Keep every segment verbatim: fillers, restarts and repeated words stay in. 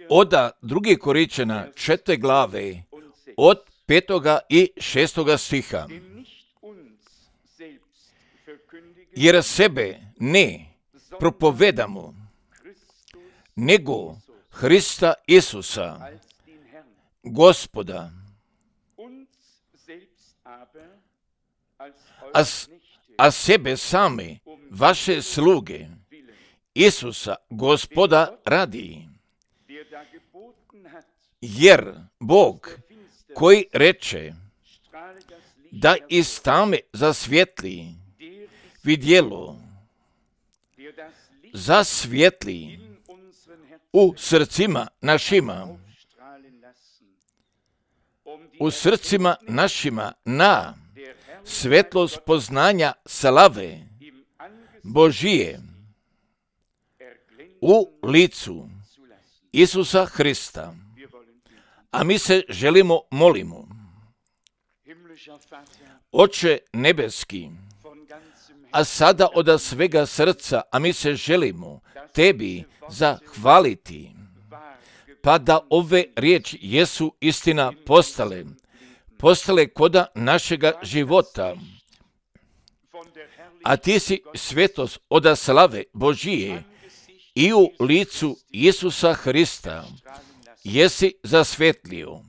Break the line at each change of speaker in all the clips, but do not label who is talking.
Oda druge Korinčana četvrte glave od petoga i šestoga stiha. Jer sebe ne propovedamo, nego Hrista Isusa, Gospoda, a, a sebe same, vaše sluge, Isusa, Gospoda, radi. Jer Bog, koji reče da iz tame zasvjetli vidjelo, zasvjetli u srcima našima, u srcima našima na svetlost poznanja slave Božije u licu Isusa Hrista. A mi se želimo, molimo. Oče nebeski, a sada od svega srca, a mi se želimo tebi zahvaliti, pa da ove riječi jesu istina postale, postale koda našega života. A ti si svetost od slave Božije i u licu Isusa Hrista jesi zasvjetlio.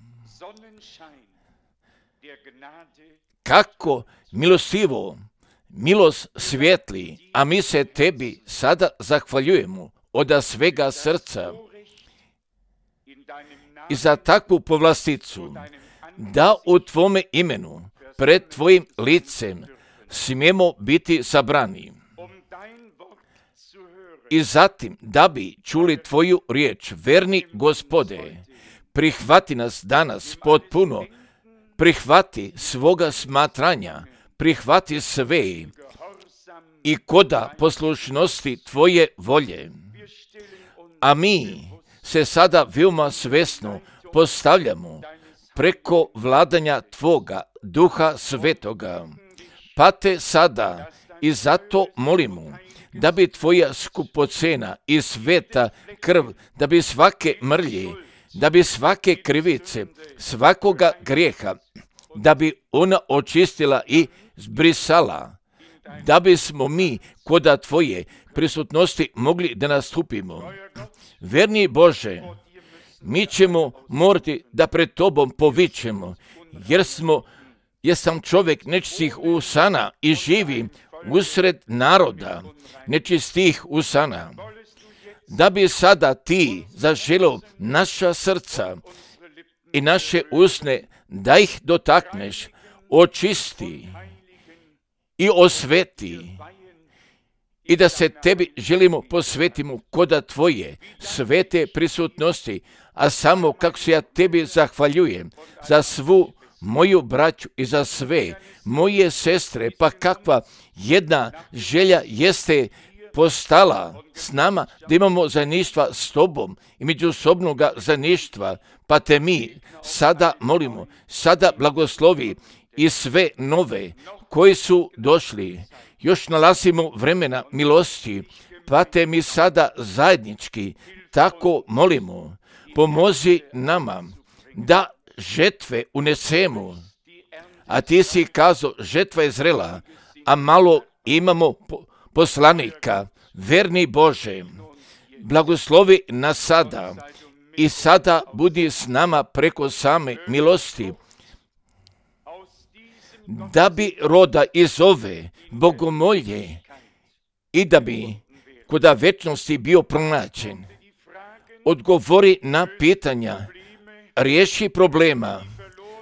Kako milostivo milost svjetli, a mi se tebi sada zahvaljujemo od svega srca i za takvu povlasticu, da u tvome imenu pred tvojim licem smijemo biti sabrani. I zatim, da bi čuli tvoju riječ, verni Gospode, prihvati nas danas potpuno, prihvati svoga smatranja, prihvati sve i koda poslušnosti tvoje volje. A mi se sada veoma svesno postavljamo preko vladanja tvoga Duha Svetoga, pa te sada i zato molimo da bi tvoja skupocena i sveta krv, da bi svake mrlje, da bi svake krivice, svakoga grijeha, da bi ona očistila i zbrisala, da bismo mi koda tvoje prisutnosti mogli da nastupimo. Verni Bože, mi ćemo morati da pred tobom povićemo, jer smo, jer sam čovjek nečistih usana i živim usred naroda nečistih usana. Da bi sada ti zaželio naša srca i naše usne, da ih dotakneš, očisti i osveti i da se tebi želimo posvetimo koda tvoje svete prisutnosti, a samo kako se ja tebi zahvaljujem za svu moju braću i za sve moje sestre, pa kakva jedna želja jeste postala s nama, da imamo zajedništva s tobom i međusobnoga zajedništva, pa te mi sada molimo, sada blagoslovi i sve nove koji su došli, još nalazimo vremena milosti, pa te mi sada zajednički tako molimo, pomozi nama da žetve unesemo, a ti si kazao, žetva je zrela, a malo imamo poslanika. Verni Bože, blagoslovi nas sada i sada budi s nama preko same milosti, da bi roda iz ove bogomolje i da bi koda večnosti bio pronađen. Odgovori na pitanja, riješi problema,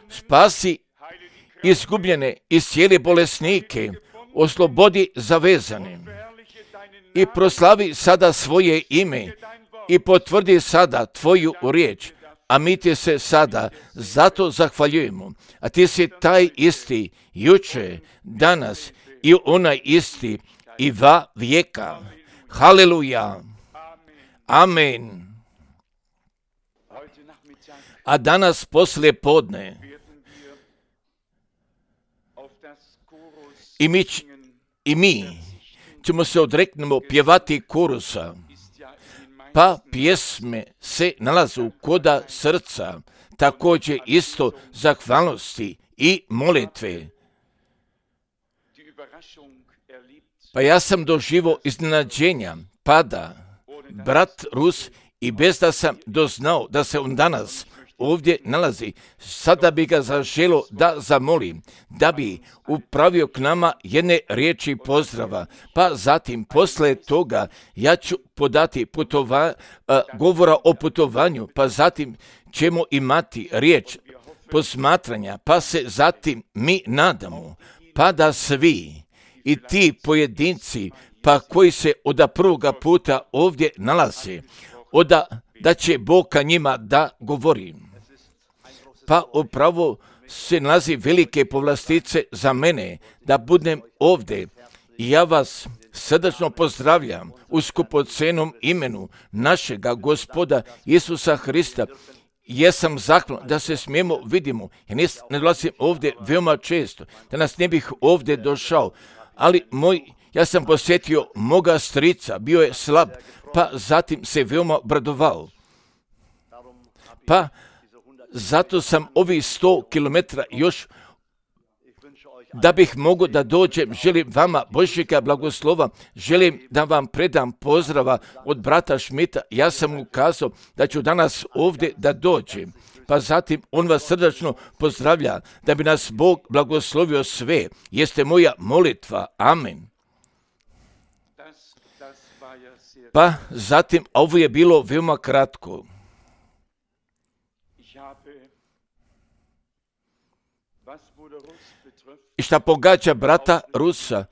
spasi izgubljene i cijele bolesnike, oslobodi zavezane i proslavi sada svoje ime i potvrdi sada tvoju riječ, a mi ti se sada zato zahvaljujemo. A ti si taj isti juče, danas i onaj isti i va vijeka. Haleluja. Amen. A danas poslije podne i mi, i mi ćemo se odreknemo pjevati korusa. pa pjesme se nalazu koda srca, također isto zahvalnosti i molitve. Pa ja sam doživo iznenađenja, pada brat Rus i bez da sam doznao da se on danas ovdje nalazi, sada bi ga zaželo da zamolim, da bi upravio k nama jedne riječi pozdrava, pa zatim posle toga ja ću podati putova, a, govora o putovanju, pa zatim ćemo imati riječ posmatranja, pa se zatim mi nadamo, pa da svi i ti pojedinci, pa koji se od prvoga puta ovdje nalaze, oda da će Bog ka njima da govori. Pa upravo se nalazi velike povlastice za mene da budem ovdje i ja vas srdačno pozdravljam u skupocenom imenu našega Gospoda Isusa Hrista. Jesam zahvalan da se smijemo vidimo. Ja ne dolazim ovdje veoma često, da nas ne bih ovdje došao, ali moj, ja sam posjetio moga strica, bio je slab, pa zatim se veoma bradovao. Pa zato sam ovih sto kilometara još, da bih mogao da dođem, želim vama Božjega blagoslova, želim da vam predam pozdrava od brata Šmita. Ja sam mu kazao da ću danas ovdje da dođem, pa zatim on vas srdačno pozdravlja, da bi nas Bog blagoslovio sve. Jeste moja molitva. Amen. Pa zatim, ovo je bilo veoma kratko. I šta pogađa brata Rusa,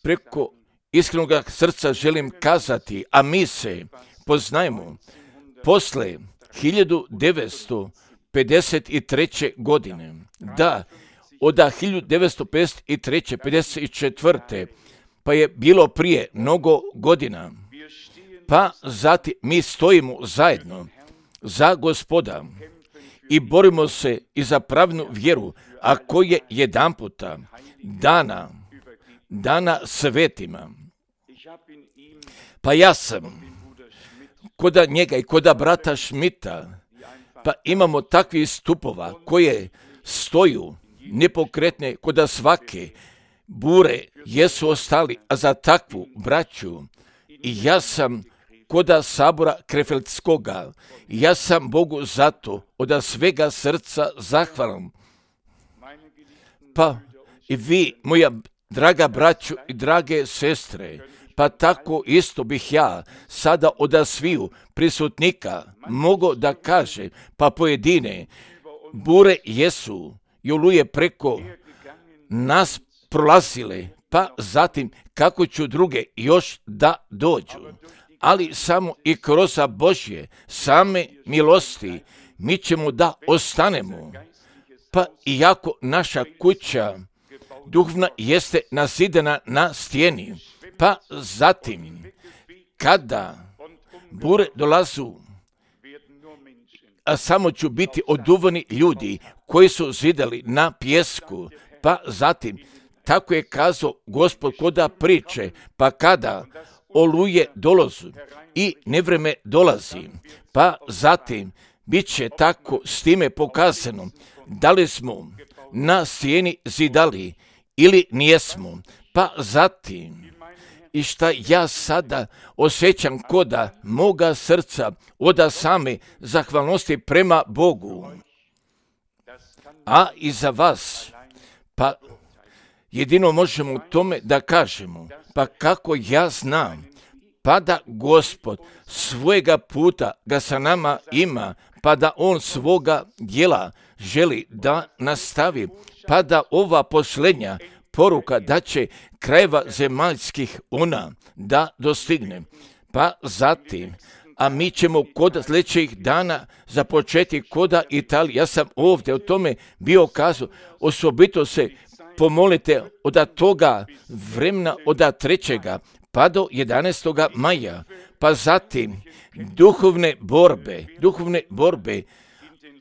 preko iskrenog srca želim kazati, a mi se poznajemo posle hiljadu devetsto pedeset treće. godine. Da, od hiljadu devetsto pedeset treće. pedeset četvrte. pa je bilo prije mnogo godina. Pa zatim mi stojimo zajedno za Gospoda i borimo se i za pravnu vjeru, a koje jedan puta dana, dana svetima. Pa ja sam koda njega i koda brata Šmita, pa imamo takvih stupova koje stoju nepokretne koda svake bure jesu ostali, a za takvu braću i ja sam koda sabora Krefeldskoga, ja sam Bogu zato od svega srca zahvalan. Pa i vi, moja draga braću i drage sestre, pa tako isto bih ja sada od sviju prisutnika mogao da kaže, pa pojedine bure jesu i oluje preko nas prolazile, pa zatim kako ću druge još da dođu. Ali samo i kroz Božje same milosti mi ćemo da ostanemo. Pa iako naša kuća duhovna jeste nazidana na stijeni, pa zatim kada bure dolazu, a samo ću biti oduvani ljudi koji su zidali na pjesku, pa zatim tako je kazao Gospod koda priče, pa kada oluje dolazu i nevreme dolazi, pa zatim bit će tako s time pokazano da li smo na stijeni zidali ili nijesmo, pa zatim i šta ja sada osjećam koda moga srca od same zahvalnosti prema Bogu, a i za vas, pa jedino možemo tome da kažemo, pa kako ja znam, pa da Gospod svojega puta ga sa nama ima, pa da on svoga djela želi da nastavi, pa da ova posljednja poruka da će krajeva zemaljskih ona da dostigne. Pa zatim, a mi ćemo kod sljedećih dana započeti koda Italije. Ja sam ovdje o tome bio kazao, osobito se pomolite od toga vremena od trećega pa do jedanaestog maja, pa zatim duhovne borbe, duhovne borbe,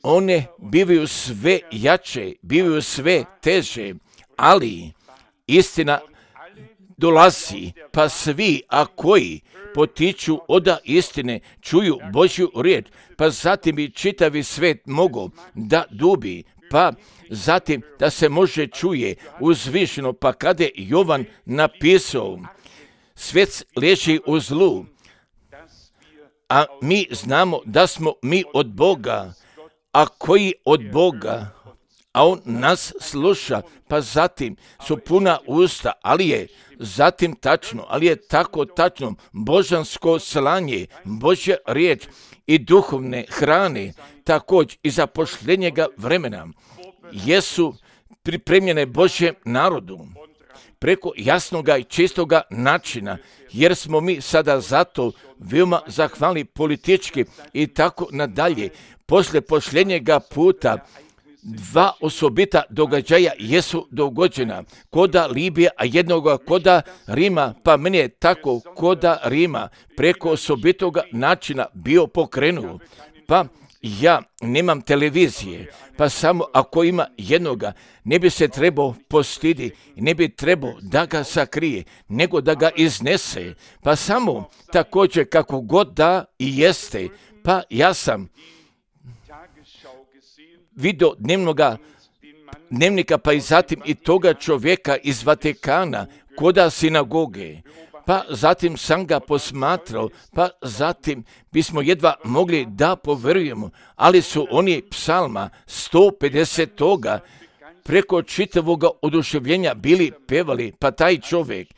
one bivaju sve jače, bivaju sve teže, ali istina dolazi, pa svi, a koji potiču oda istine, čuju Božju riječ, pa zatim i čitavi svet mogu da dubi, pa zatim da se može čuje uzvišeno, pa kada je Jovan napisao, svet leži u zlu, a mi znamo da smo mi od Boga, a koji od Boga, a on nas sluša, pa zatim su puna usta, ali je zatim tačno, ali je tako tačno, božansko slanje, Božja riječ i duhovne hrane, također i zapošljenjega vremena, jesu pripremljene Božjem narodu preko jasnoga i čistoga načina, jer smo mi sada zato veoma zahvalni politički i tako nadalje. Poslije posljednjega puta dva osobita događaja jesu dogođena, koda Libije, a jednoga koda Rima, pa meni je tako koda Rima preko osobitoga načina bio pokrenuo. Pa ja nemam televizije, pa samo ako ima jednoga, ne bi se trebao postidi, ne bi trebao da ga sakrije, nego da ga iznese, pa samo također kako god da i jeste, pa ja sam vidio dnevnoga, dnevnika, pa i zatim i toga čovjeka iz Vatikana, koda sinagoge, pa zatim sam ga posmatrao, pa zatim bismo jedva mogli da poverujemo, ali su oni psalma sto pedeset preko čitavoga oduševljenja bili pevali, pa taj čovjek,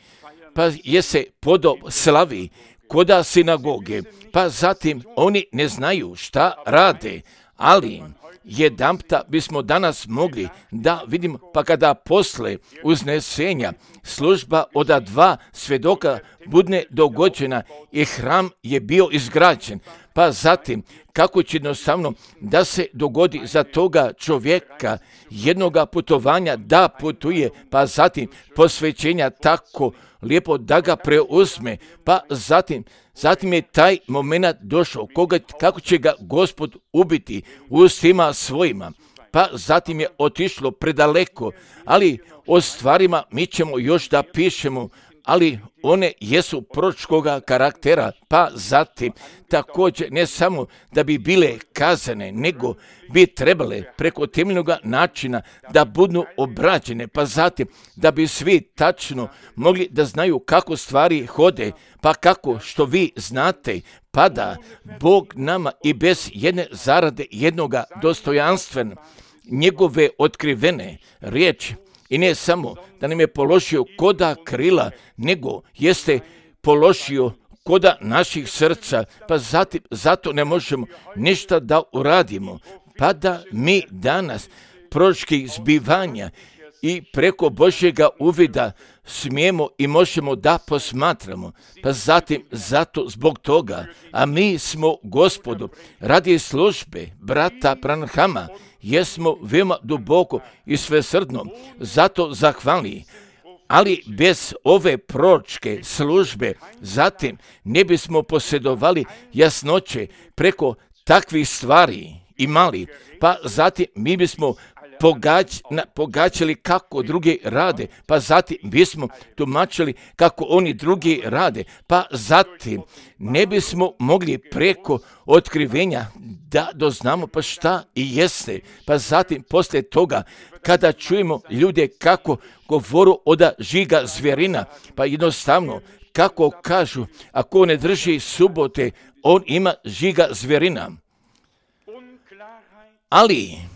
pa je se podo slavi koda sinagoge, pa zatim oni ne znaju šta rade, ali jedanpta bismo danas mogli da vidimo, pa kada posle uznesenja služba od dva svjedoka budne dogođena i hram je bio izgrađen, pa zatim kako će jednostavno da se dogodi za toga čovjeka jednoga putovanja da putuje, pa zatim posvećenja tako lijepo da ga preuzme, pa zatim Zatim je taj moment došao, koga, kako će ga Gospod ubiti ustima svojima, pa zatim je otišlo predaleko, ali o stvarima mi ćemo još da pišemo, ali one jesu proročkoga karaktera, pa zatim također ne samo da bi bile kazane, nego bi trebale preko temeljnog načina da budu obrađene, pa zatim da bi svi tačno mogli da znaju kako stvari hode, pa kako što vi znate, pa da Bog nama i bez jedne zarade jednoga dostojanstvena, njegove otkrivene riječi, i ne samo da nam je položio koda krila, nego jeste položio koda naših srca, pa zatim, zato ne možemo ništa da uradimo, pa da mi danas proročkih zbivanja i preko Božjega uvida smijemo i možemo da posmatramo, pa zatim zato zbog toga, a mi smo Gospodu radi službe brata Branhama, jesmo veoma duboko i svesrdno zato zahvalni, ali bez ove proročke službe zatim ne bismo posjedovali jasnoće preko takvih stvari imali, pa zatim mi bismo Pogađ, na, pogađali kako drugi rade, pa zatim bismo tumačili kako oni drugi rade, pa zatim ne bismo mogli preko otkrivenja da doznamo pa šta i jeste, pa zatim poslije toga kada čujemo ljude kako govoru od žiga zvjerina, pa jednostavno kako kažu ako ne drži subote, on ima žiga zvjerina. Ali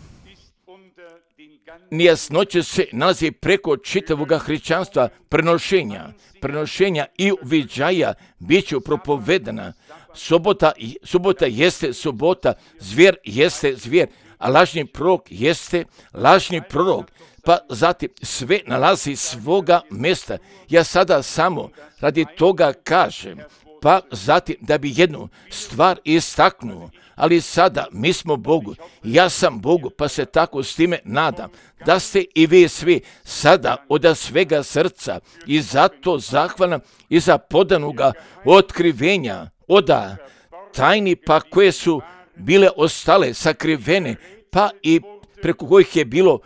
nejasnoće se nalazi preko čitavoga hrišćanstva, prenošenja, prenošenja i uviđaja bit će propovedana. Subota, subota jeste subota, zvjer jeste zvjer, a lažni prorok jeste lažni prorok, pa zatim sve nalazi svoga mjesta. Ja sada samo radi toga kažem, pa zatim da bi jednu stvar istaknuo, ali sada mi smo Bogu, ja sam Bogu, pa se tako s time nadam, da ste i vi svi sada od svega srca i zato zahvalan i za podanoga otkrivenja, oda tajni pa koje su bile ostale sakrivene, pa i preko kojih je bilo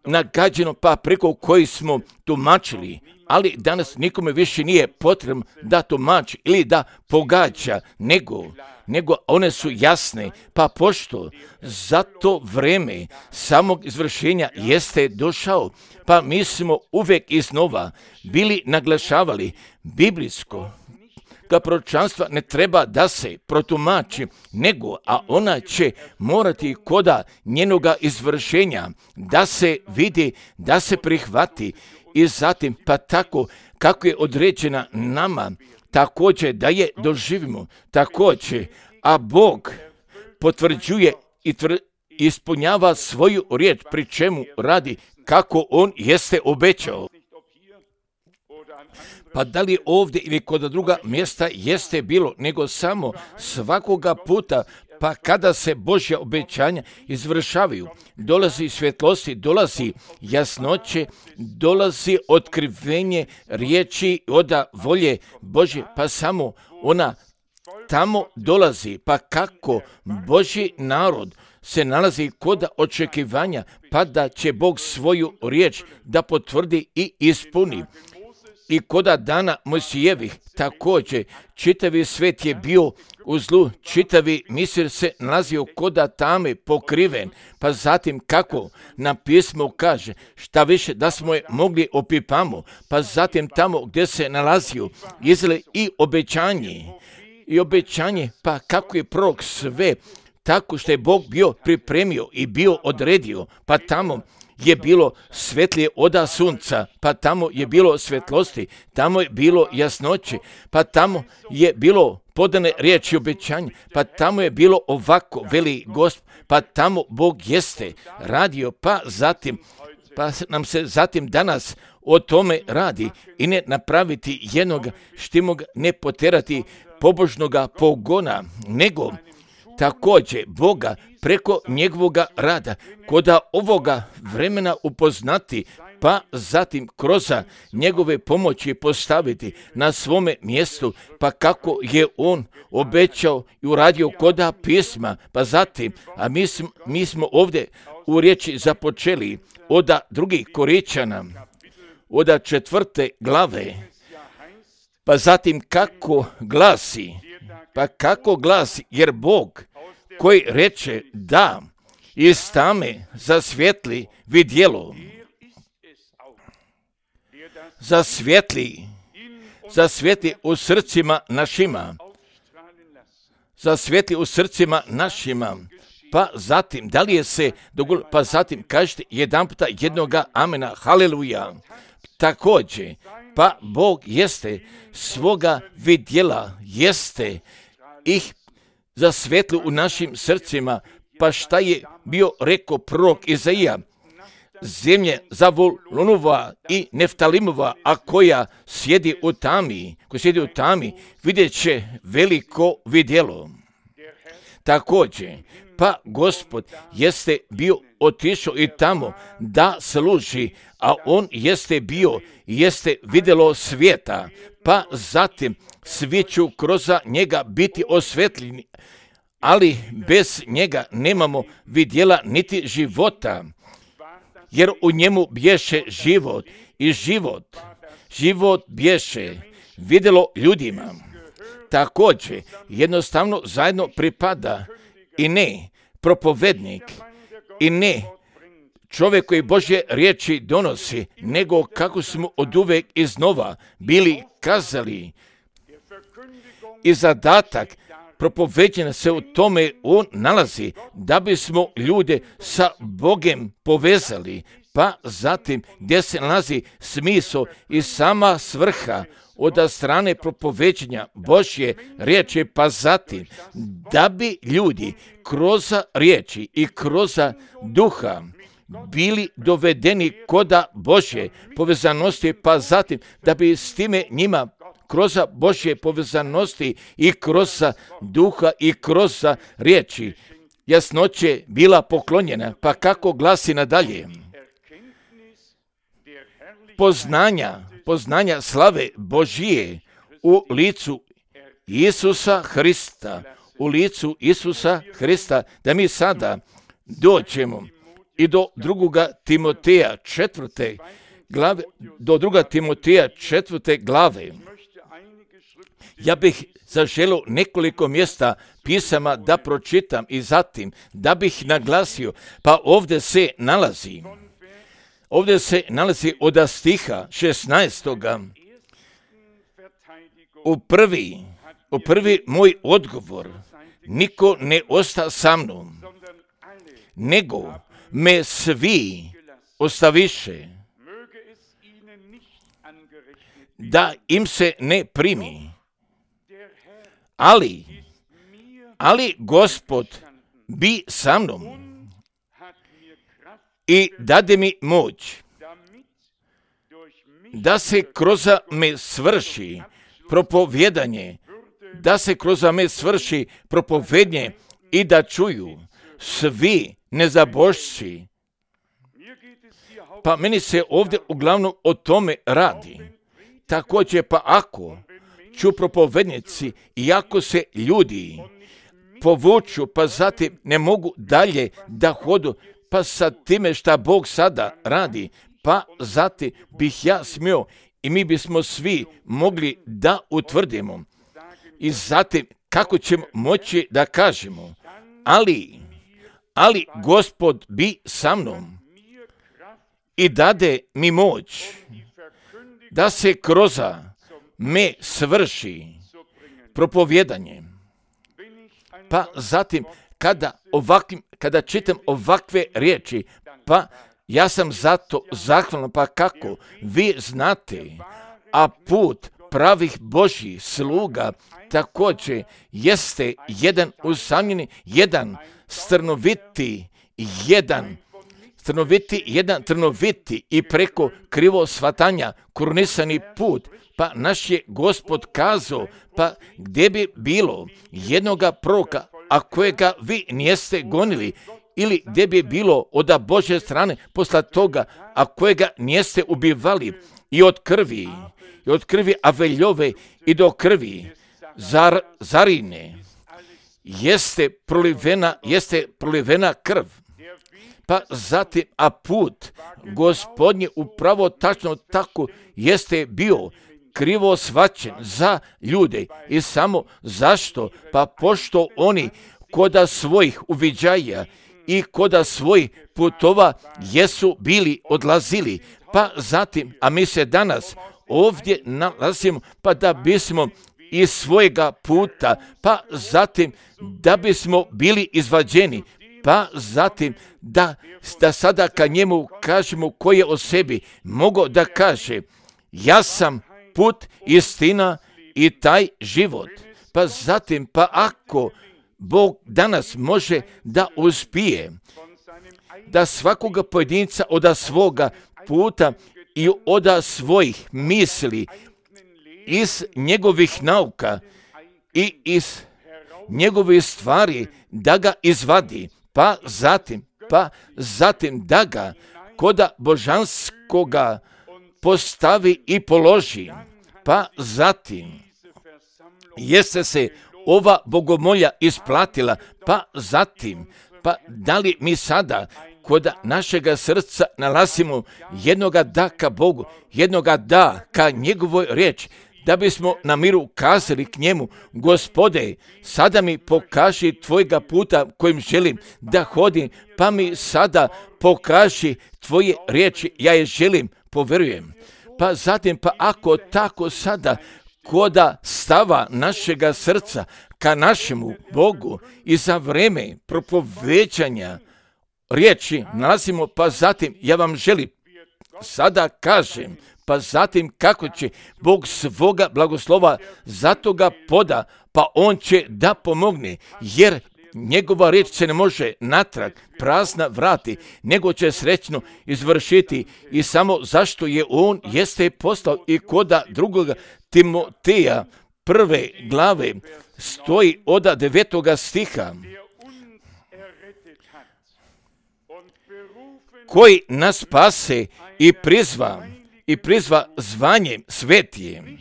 nagađeno, pa preko kojih smo tumačili, ali danas nikome više nije potrebno da tumači ili da pogađa, nego, nego one su jasne, pa pošto za to vreme samog izvršenja jeste došao, pa mi smo uvijek iznova bili naglašavali biblijsko da proročanstva ne treba da se protumači, nego, a ona će morati koda njenoga izvršenja da se vidi, da se prihvati i zatim pa tako kako je određena nama, također da je doživimo, također, a Bog potvrđuje i tvr, ispunjava svoju riječ, pri čemu radi kako On jeste obećao. Pa da li ovdje ili kod druga mjesta jeste bilo, nego samo svakoga puta, pa kada se Božja obećanja izvršavaju, dolazi svjetlosti, dolazi jasnoće, dolazi otkrivenje riječi od volje Božje, pa samo ona tamo dolazi, pa kako Božji narod se nalazi kod očekivanja, pa da će Bog svoju riječ da potvrdi i ispuni. I koda dana Mojsijevih također čitavi svet je bio u zlu, čitavi misir se nalazio koda tame pokriven, pa zatim kako na pismu kaže, šta više da smo je mogli opipamo, pa zatim tamo gdje se nalazio izle i obećanje, i obećanje, pa kako je prorok sve tako što je Bog bio pripremio i bio odredio, pa tamo je bilo svetlije oda sunca, pa tamo je bilo svetlosti, tamo je bilo jasnoće, pa tamo je bilo podane riječi obećanja, pa tamo je bilo ovako, veli Gospod, pa tamo Bog jeste radio, pa zatim, pa nam se zatim danas o tome radi i ne napraviti jednog štimoga, ne poterati pobožnoga pogona, nego također Boga preko njegovoga rada, koda ovoga vremena upoznati, pa zatim kroz njegove pomoći postaviti na svome mjestu, pa kako je on obećao i uradio koda pisma, pa zatim, a mi smo, mi smo ovdje u riječi započeli od drugih Koričana, od četvrte glave, pa zatim kako glasi, pa kako glasi, jer Bog koji reče da iz tame zasvjetli vidjelo, zasvjetli, zasvjetli u srcima našima, zasvjetli u srcima našima, pa zatim, da li je se dogodilo, pa zatim kažete jedan puta jednoga amena, haleluja, također, pa Bog jeste svoga vidjela, jeste ih zasvetli u našim srcima, pa šta je bio rekao prorok Izaija, zemlje Zavulunova i Neftalimova, a koja sjedi u tami, koja sjedi u tami, vidjet će veliko vidjelo. Također, pa Gospod jeste bio otišao i tamo da služi, a on jeste bio, jeste vidjelo svijeta, pa zatim svi ću kroz njega biti osvetljeni, ali bez njega nemamo vidjela niti života, jer u njemu bješe život i život, život bješe vidjelo ljudima. Također, jednostavno zajedno pripada i ne propovednik, i ne čovjek koji Božje riječi donosi, nego kako smo oduvek iznova bili kazali. I zadatak propoveđena se u tome on nalazi, da bismo ljude sa Bogem povezali, pa zatim gdje se nalazi smisao i sama svrha od strane propoveđenja Božje riječi, pa zatim da bi ljudi kroz riječi i kroz duha bili dovedeni koda Božje povezanosti, pa zatim da bi s time njima kroz Božje povezanosti i kroz duha i kroz riječi jasnoće bila poklonjena, pa kako glasi nadalje. Poznanja, poznanja slave Božije u licu Isusa Hrista, u licu Isusa Hrista, da mi sada dođemo i do drugoga Timoteja četvrte glave do druga Timoteja četvrte glave. Ja bih zaželio nekoliko mjesta pisama da pročitam i zatim da bih naglasio, pa ovdje se nalazi, ovdje se nalazi od stiha šesnaestoga u prvi, u prvi moj odgovor, niko ne osta sa mnom, nego me svi ostaviše, da im se ne primi. Ali, ali Gospod bi sa mnom i dade mi moć, da se kroz me svrši propovjedanje, da se kroz me svrši propovednje i da čuju svi nezabošći. Pa meni se ovdje uglavnom o tome radi. Također pa ako ću propovednici i ako se ljudi povuču, pa zatim ne mogu dalje da hodu, pa sa time šta Bog sada radi, pa zatim bih ja smio i mi bismo svi mogli da utvrdimo. I zatim kako ćemo moći da kažemo, ali, ali Gospod bi sa mnom i dade mi moć, da se kroz me svrši propovjedanje. Pa zatim, kada, ovakvim, kada čitam ovakve riječi, pa ja sam zato zahvalan, pa kako vi znate, a put pravih Božjih sluga također jeste jedan usamljeni, jedan strnoviti, jedan trnoviti, jedan trnoviti i preko krivo shvatanja krunisani put. Pa naš je Gospod kazao, pa gdje bi bilo jednoga proroka, a kojega vi nijeste gonili, ili gdje bi bilo od Božje strane posle toga, a kojega nijeste ubivali, i od krvi, i od krvi Aveljove i do krvi zar, Zarine, jeste prolivena, jeste prolivena krv. Pa zatim, a put Gospodnji upravo tačno tako jeste bio krivo shvaćen za ljude. I samo zašto? Pa pošto oni koda svojih uviđaja i koda svojih putova jesu bili odlazili. Pa zatim, a mi se danas ovdje nalazimo, pa da bismo iz svojega puta, pa zatim da bismo bili izvađeni, pa zatim da, da sada ka njemu kažemo koji je o sebi mogao da kaže, ja sam put, istina i taj život. Pa zatim, pa ako Bog danas može da uspije, da svakoga pojedinca od svoga puta i od svojih misli, iz njegovih nauka i iz njegovih stvari da ga izvadi, pa zatim, pa zatim da ga koda božanskoga postavi i položi, pa zatim jeste se ova bogomolja isplatila, pa zatim, pa da li mi sada kod našega srca nalazimo jednoga da ka Bogu, jednoga da ka njegovoj riječi, da bismo na miru kazali k njemu, Gospode, sada mi pokaži tvojega puta kojim želim da hodim, pa mi sada pokaži tvoje riječi, ja je želim, poverujem. Pa zatim, pa ako tako sada koda stava našega srca ka našemu Bogu i za vreme propoveđanja riječi nalazimo, pa zatim ja vam želim sada kažem, pa zatim kako će Bog svoga blagoslova za toga poda, pa on će da pomogne, jer njegova riječ se ne može natrag prazna vrati, nego će srećno izvršiti, i samo zašto je on jeste poslao i koda drugoga Timoteja prve glave stoji od devetoga stiha, koji nas spase i prizva i prizva zvanjem svetijem,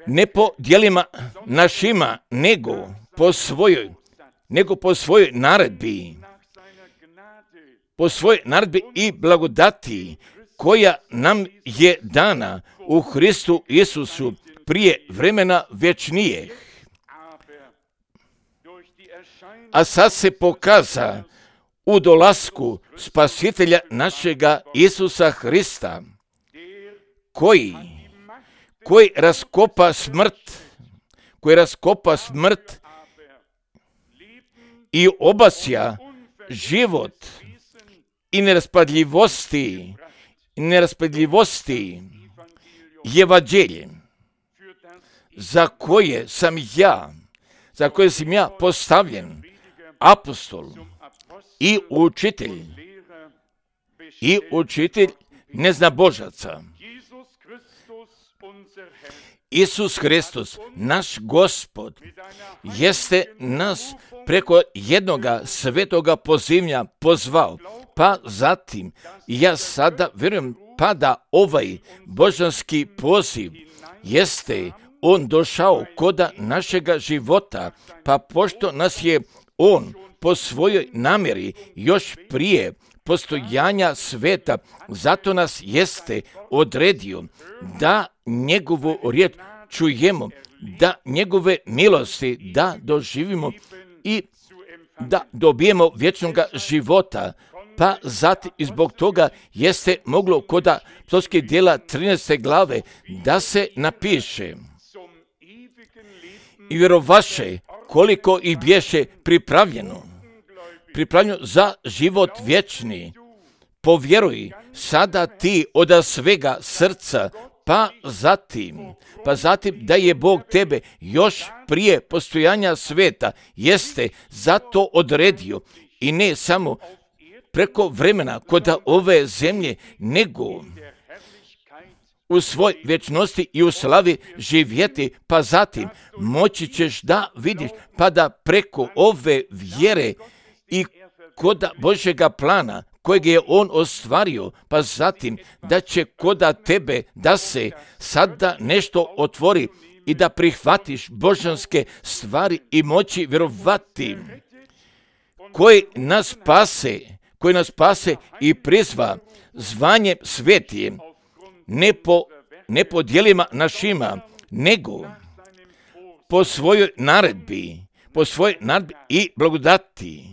ne po djelima našima, nego po svojoj, nego po svojoj naredbi po svojoj naredbi i blagodati koja nam je dana u Hristu Isusu prije vremena vječnijeg. A sad se pokaza u dolasku Spasitelja našega Isusa Hrista, koji, koji raskopa smrt, koji raskopa smrt i obasja život i neraspadljivosti, neraspadljivosti evanđelje, za koje sam ja, za koje sam ja postavljen, apostol i učitelj, i učitelj neznabožaca. Isus Hristos, naš Gospod, jeste nas preko jednoga svetoga pozivnja pozvao, pa zatim ja sada vjerujem pa da ovaj božanski poziv jeste on došao koda našega života, pa pošto nas je on po svojoj namjeri još prije postojanja sveta, zato nas jeste odredio da njegovu riječ čujemo, da njegove milosti da doživimo i da dobijemo vječnoga života. Pa zatim i zbog toga jeste moglo kod apostolskih djela trinaeste glave da se napiše: i vjerovaše koliko i bješe pripravljeno, pripravljeno za život vječni. Povjeruj sada ti od svega srca, pa zatim, pa zatim da je Bog tebe još prije postojanja sveta jeste zato odredio i ne samo preko vremena kod ove zemlje, nego u svoj vječnosti i u slavi živjeti, pa zatim moći ćeš da vidiš, pa da preko ove vjere i kod Božjega plana kojeg je on ostvario, pa zatim da će koda tebe da se sada nešto otvori i da prihvatiš božanske stvari i moći vjerovati, koji nas spase, koji nas spase i prizva zvanjem svetije, ne po, ne po djelima našima, nego po svojoj naredbi, po svojoj naredbi i blagodati.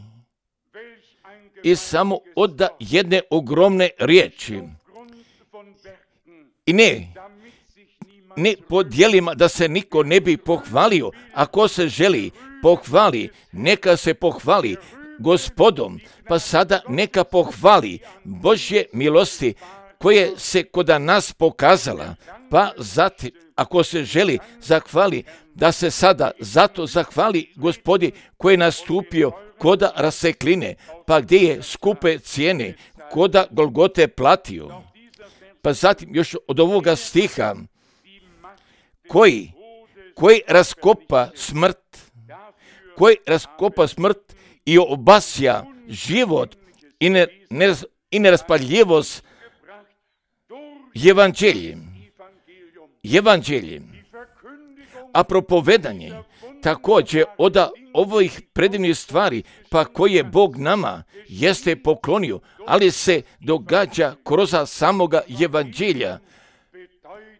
I samo od jedne ogromne riječi. I ne, ne po djelima da se niko ne bi pohvalio. Ako se želi pohvali, neka se pohvali Gospodom, pa sada neka pohvali Božje milosti koje se kod nas pokazala, pa zatim, ako se želi zahvali, da se sada zato zahvali Gospodi koji je nastupio koda rasekline, pa gdje je skupe cijene, koda Golgote platio. Pa zatim još od ovoga stiha, koji, koji raskopa smrt, koji raskopa smrt i obasja život i, ne, ne, i neraspadljivost evanđeljem. Evanđeljem. A propovedanje također od ovih predivnih stvari, pa koje Bog nama jeste poklonio, ali se događa kroz samoga evanđelja.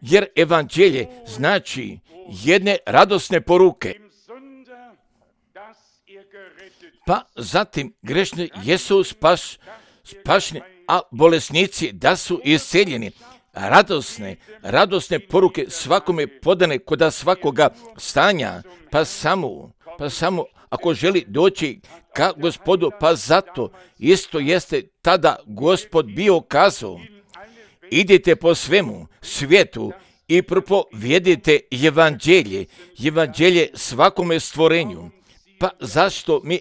Jer evanđelje znači jedne radosne poruke. Pa zatim grešni jesu spaš, spašni, a bolesnici da su isceljeni. Radosne, radosne poruke svakome podane kod svakoga stanja, pa samo, pa samo ako želi doći ka Gospodu, pa zato isto jeste tada Gospod bio kazao: idite po svemu svijetu i propovijedite evanđelje, evanđelje svakome stvorenju. Pa zašto mi,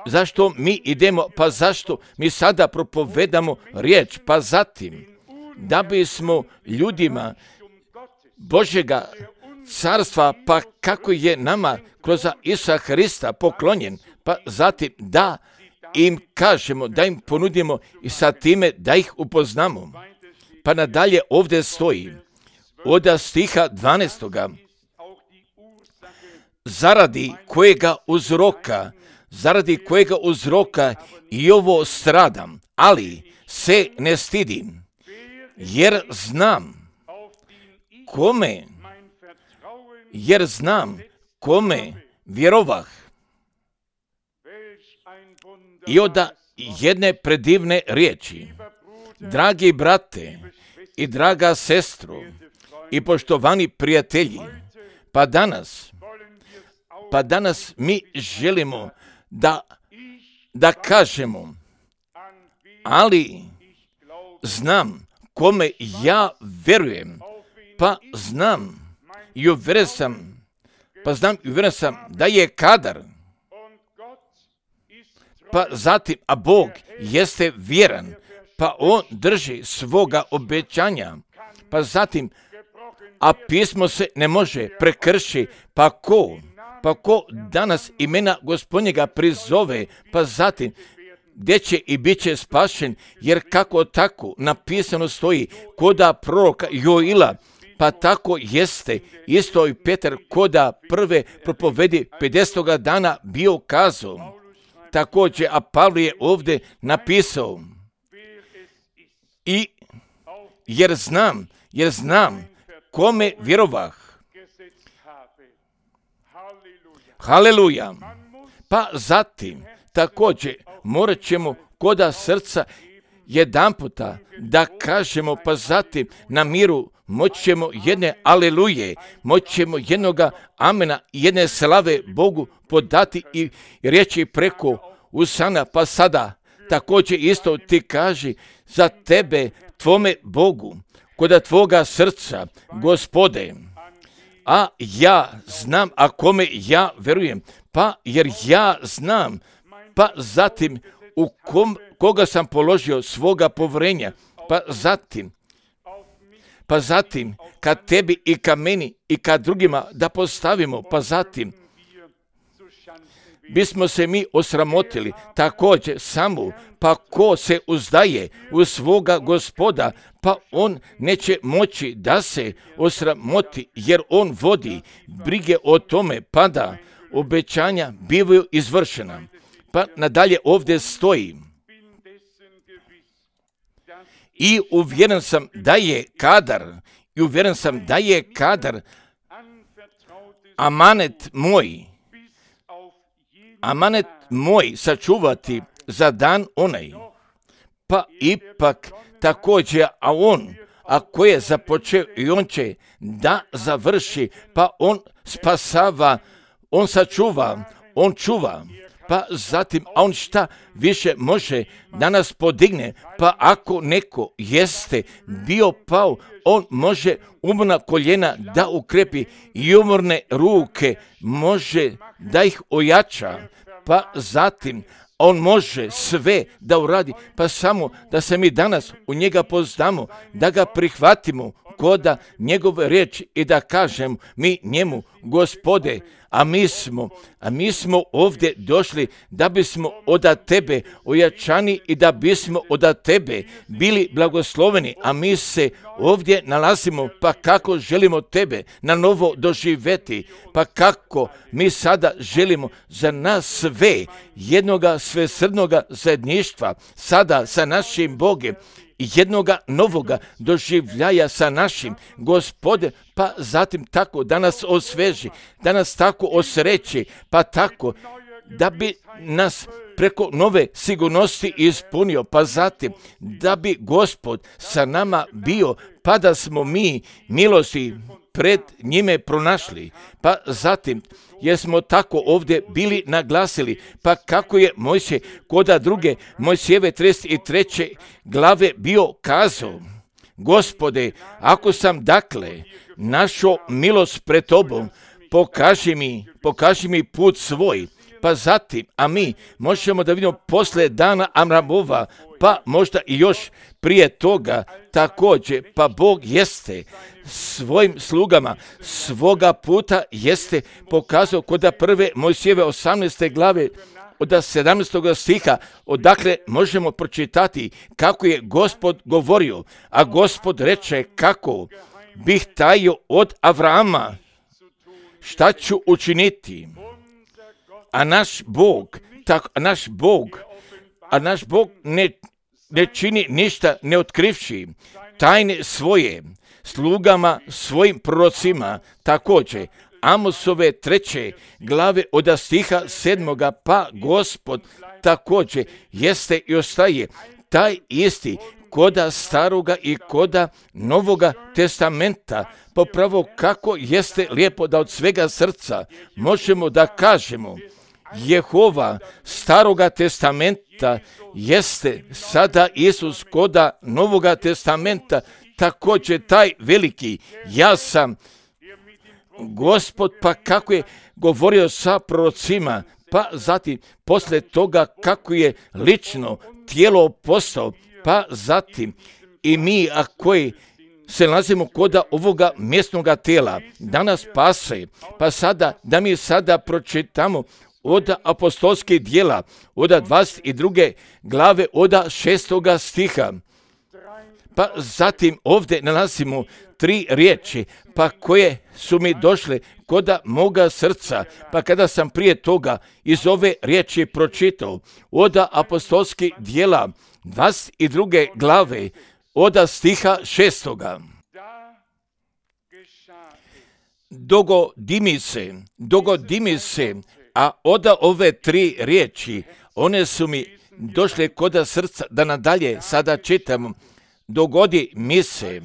zašto mi idemo, pa zašto mi sada propovedamo riječ, pa zatim da bismo ljudima Božjega carstva, pa kako je nama kroz Isusa Hrista poklonjen, pa zatim da im kažemo, da im ponudimo i sa time da ih upoznamo. Pa nadalje ovdje stoji od stiha dvanaestoga zaradi kojega uzroka zaradi kojega uzroka i ovo stradam, ali se ne stidim, jer znam kome, jer znam kome vjerovah. I onda jedne predivne riječi. Dragi brate i draga sestro i poštovani prijatelji, pa danas, pa danas mi želimo da, da kažemo, ali znam kome ja vjerujem, pa znam i uvjeren sam, pa znam i uvjeren sam da je kadar, pa zatim, a Bog jeste vjeran, pa On drži svoga obećanja, pa zatim, a pismo se ne može prekrši, pa ko, pa ko danas imena Gospodnjega prizove, pa zatim, gdje će i bit će spašen, jer kako tako napisano stoji koda proroka Joila, pa tako jeste isto i Petar koda prve propovedi pedesetoga dana bio kazao. Također, a Pavle je ovdje napisao, i jer znam, jer znam kome vjerovah. Haleluja. Pa zatim, također, morat ćemo koda srca jedan puta da kažemo, pa zatim na miru moćemo jedne aleluje, moćemo jednoga amena, jedne slave Bogu podati i reći preko usana, pa sada također isto ti kaži za tebe, tvome Bogu, koda tvoga srca, Gospode, a ja znam, a kome ja verujem, pa jer ja znam, pa zatim u kom, koga sam položio svoga povjerenja, pa zatim, pa zatim kad tebi i ka meni i ka drugima da postavimo, pa zatim bismo se mi osramotili također samo, pa ko se uzdaje u svoga Gospoda, pa on neće moći da se osramoti, jer on vodi brige o tome, pa da obećanja bivaju izvršena. Pa nadalje ovdje stoji, i uvjeren sam da je kadar, i uvjeren sam da je kadar amanet moj, amanet moj sačuvati za dan onaj. Pa ipak također, a on, a ko je započeo i on će da završi, pa on spasava, on sačuva, on čuva. Pa zatim, a on šta više može da nas podigne, pa ako neko jeste bio pao, on može umorna koljena da ukrepi i umorne ruke, može da ih ojača, pa zatim on može sve da uradi, pa samo da se mi danas u njega poznamo, da ga prihvatimo koda njegove riječi i da kažem mi njemu, Gospode, a mi smo, a mi smo ovdje došli da bismo od tebe ojačani i da bismo od tebe bili blagosloveni, a mi se ovdje nalazimo, pa kako želimo tebe na novo doživjeti, pa kako mi sada želimo za nas sve jednoga svesrdnoga zajedništva sada sa našim Bogom, jednoga novoga doživljaja sa našim Gospode, pa zatim tako da nas osveži, da nas tako osreći, pa tako da bi nas preko nove sigurnosti ispunio, pa zatim da bi Gospod sa nama bio, pa da smo mi milosti pred njime pronašli, pa zatim jer smo tako ovdje bili naglasili, pa kako je Mojsije koda druge Mojsijeve trideset treće glave bio kazao, Gospode, ako sam dakle našao milost pred tobom, pokaži mi, pokaži mi put svoj, pa zatim, a mi možemo da vidimo posle dana Amramova, pa možda i još prije toga također, pa Bog jeste svojim slugama svoga puta jeste pokazao kod prve Mojsijeve osamnaeste glave od sedamnaestog stiha, odakle možemo pročitati kako je Gospod govorio, a Gospod reče kako bih tajio od Avrama, šta ću učiniti, a naš Bog tako, a naš Bog, a naš Bog ne, ne čini ništa ne otkrivši tajne svoje slugama, svojim prorocima, također. Amosove treće glave od stiha sedmoga, pa Gospod također jeste i ostaje taj isti koda staroga i koda novoga testamenta, popravo kako jeste lijepo da od svega srca možemo da kažemo Jehova staroga testamenta jeste sada Isus koda novoga testamenta, također taj veliki ja sam Gospod, pa kako je govorio sa prorocima, pa zatim poslije toga kako je lično tijelo postao, pa zatim i mi, a koji se nalazimo koda ovoga mjesnoga tijela, danas pase, pa sada, da mi sada pročitamo od apostolskih djela, od dvadeset druge glave, od šestoga stiha. Pa zatim ovdje nalazimo tri riječi, pa koje su mi došle koda moga srca, pa kada sam prije toga iz ove riječi pročitao od apostolskih djela dvadeset druge glave od stiha šestoga. Dogodi mi se, dogodi mi se, a od ove tri riječi, one su mi došle koda srca, da nadalje sada čitamo. Dogodi mi se,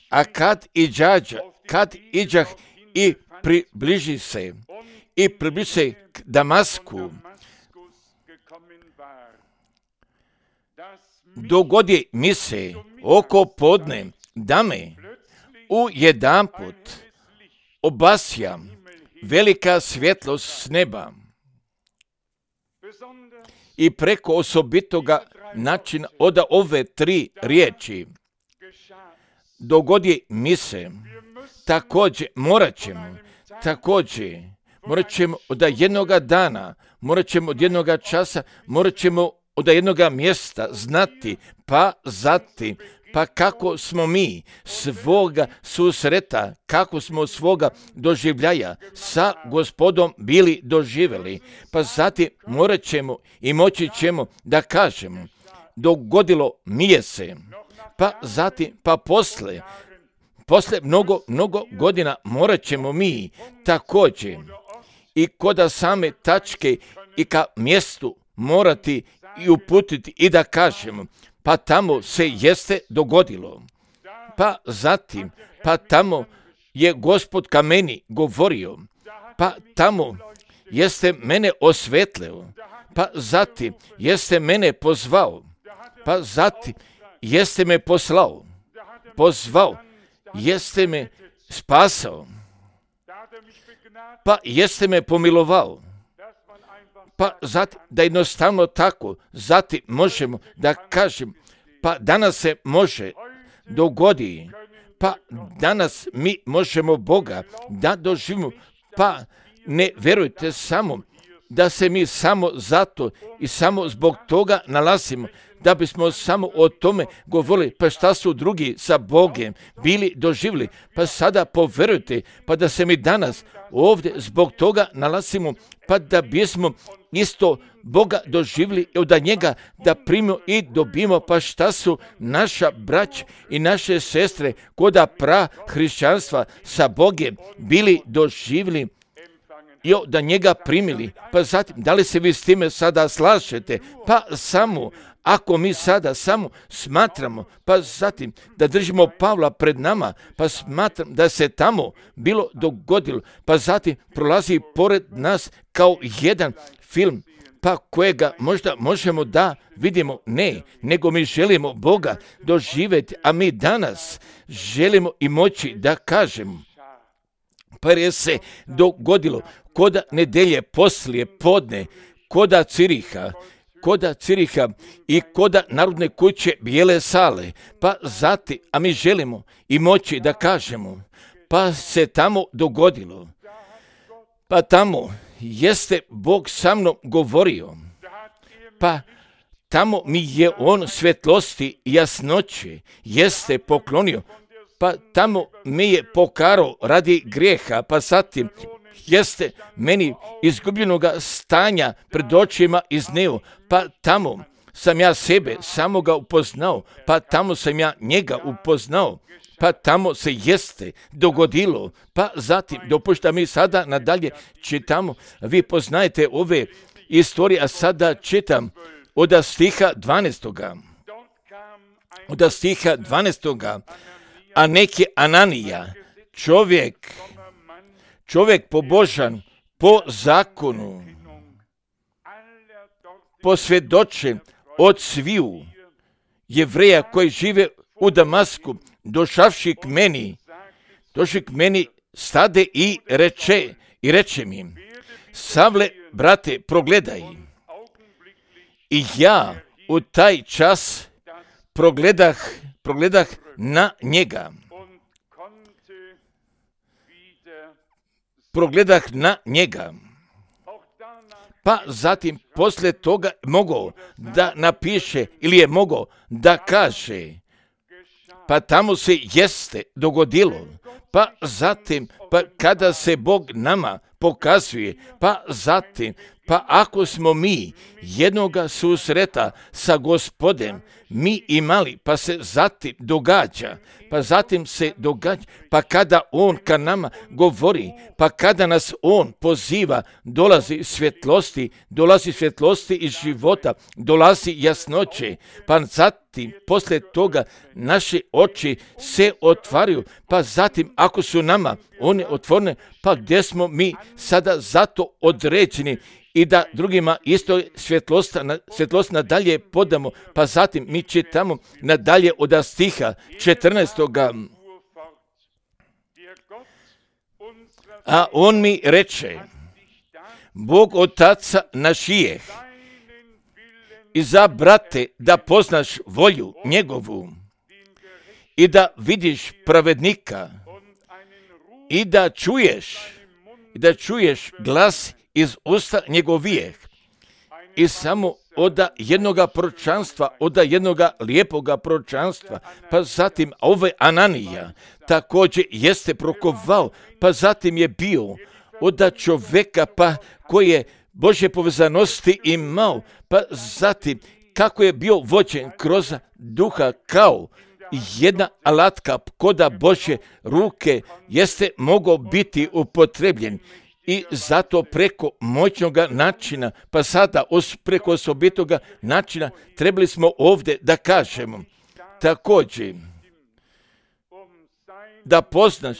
a kad iđađa, kad iđah i približi se, i približi se k Damasku, dogodi mi se oko podne, da me u jedanput obasja velika svjetlost s neba i preko osobitoga načina od ove tri riječi. Dogodi mi se, također morat ćemo, također morat ćemo od jednoga dana, morat ćemo od jednoga časa, morat ćemo od jednoga mjesta znati, pa zatim, pa kako smo mi svoga susreta, kako smo svoga doživljaja sa Gospodom bili doživjeli, pa zatim morat ćemo i moći ćemo da kažemo, dogodilo mi je se, pa zatim, pa posle, posle mnogo, mnogo godina morat ćemo mi također i koda same tačke i ka mjestu morati i uputiti i da kažemo, pa tamo se jeste dogodilo. Pa zatim, pa tamo je Gospod ka meni govorio, pa tamo jeste mene osvetlio, pa zatim jeste mene pozvao, pa zatim jeste me poslao, pozvao, jeste me spasao, pa jeste me pomilovao. Pa zatim, da jednostavno tako, zatim možemo da kažem, pa danas se može dogodi, pa danas mi možemo Boga da doživimo, pa ne verujte samo da se mi samo zato i samo zbog toga nalazimo, da bismo samo o tome govorili, pa šta su drugi sa Bogom bili doživjeli, pa sada poverujte, pa da se mi danas ovdje zbog toga nalazimo, pa da bismo isto Boga doživjeli i od njega da primimo i dobimo, pa šta su naša brać i naše sestre koda pra hrišćanstva sa Bogom bili doživjeli i da njega primili. Pa zatim, da li se vi s time sada slažete? Pa samo, ako mi sada samo smatramo, pa zatim da držimo Pavla pred nama, pa smatram da se tamo bilo dogodilo, pa zatim prolazi pored nas kao jedan film, pa kojega možda možemo da vidimo, ne, nego mi želimo Boga doživjeti, a mi danas želimo i moći da kažemo, pa je se dogodilo koda nedelje poslije podne, koda Ciriha, koda Ciriha i koda Narodne kuće Bijele sale, pa zatim, a mi želimo i moći da kažemo, pa se tamo dogodilo, pa tamo jeste Bog sa mnom govorio, pa tamo mi je on svjetlosti i jasnoće jeste poklonio, pa tamo me je pokarao radi grijeha, pa zatim jeste meni izgubljenoga stanja pred očima izneo, pa tamo sam ja sebe samoga upoznao, pa tamo sam ja njega upoznao, pa tamo se jeste dogodilo, pa zatim dopušta mi sada nadalje čitamo, vi poznajete ove istorije, a sada čitam od stiha dvanaestoga. Od stiha dvanaestoga. A neki Ananija, čovjek, čovjek pobožan po zakonu, posvjedočen od sviju Jevreja koji žive u Damasku, došavši k meni, došli k meni stade i reče, i reče mi, Savle, brate, progledaj. I ja u taj čas progledah, progledah na njega. Progledah na njega. Pa zatim poslije toga mogao da napiše ili je mogao da kaže, pa tamo se jeste dogodilo, pa zatim pa kada se Bog nama pokazuje, pa zatim pa ako smo mi jednoga susreta sa Gospodem mi imali, pa se zatim događa, pa zatim se događa, pa kada On ka nama govori, pa kada nas On poziva, dolazi svjetlosti, dolazi svjetlosti iz života, dolazi jasnoće, pa zatim poslije toga naše oči se otvaraju, pa zatim ako su nama one otvorene, pa gdje smo mi sada zato određeni i da drugima isto svjetlost, svjetlost nadalje podamo, pa zatim mi čitamo nadalje od stiha četrnaestoga. A on mi reče, Bog Otaca našijeh, izabrate da poznaš volju njegovu i da vidiš pravednika i da čuješ, i da čuješ glas iz usta njegovijeh i samo od jednoga proročanstva, od jednoga lijepoga proročanstva, pa zatim ovaj Ananija također jeste prokovao, pa zatim je bio od čovjeka pa koji je Božje povezanosti imao, pa zatim kako je bio vođen kroz duha kao jedna alatka koda Božje ruke jeste mogao biti upotrebljen. I zato preko moćnoga načina, pa sada preko osobitoga načina, trebali smo ovdje da kažemo također da poznaš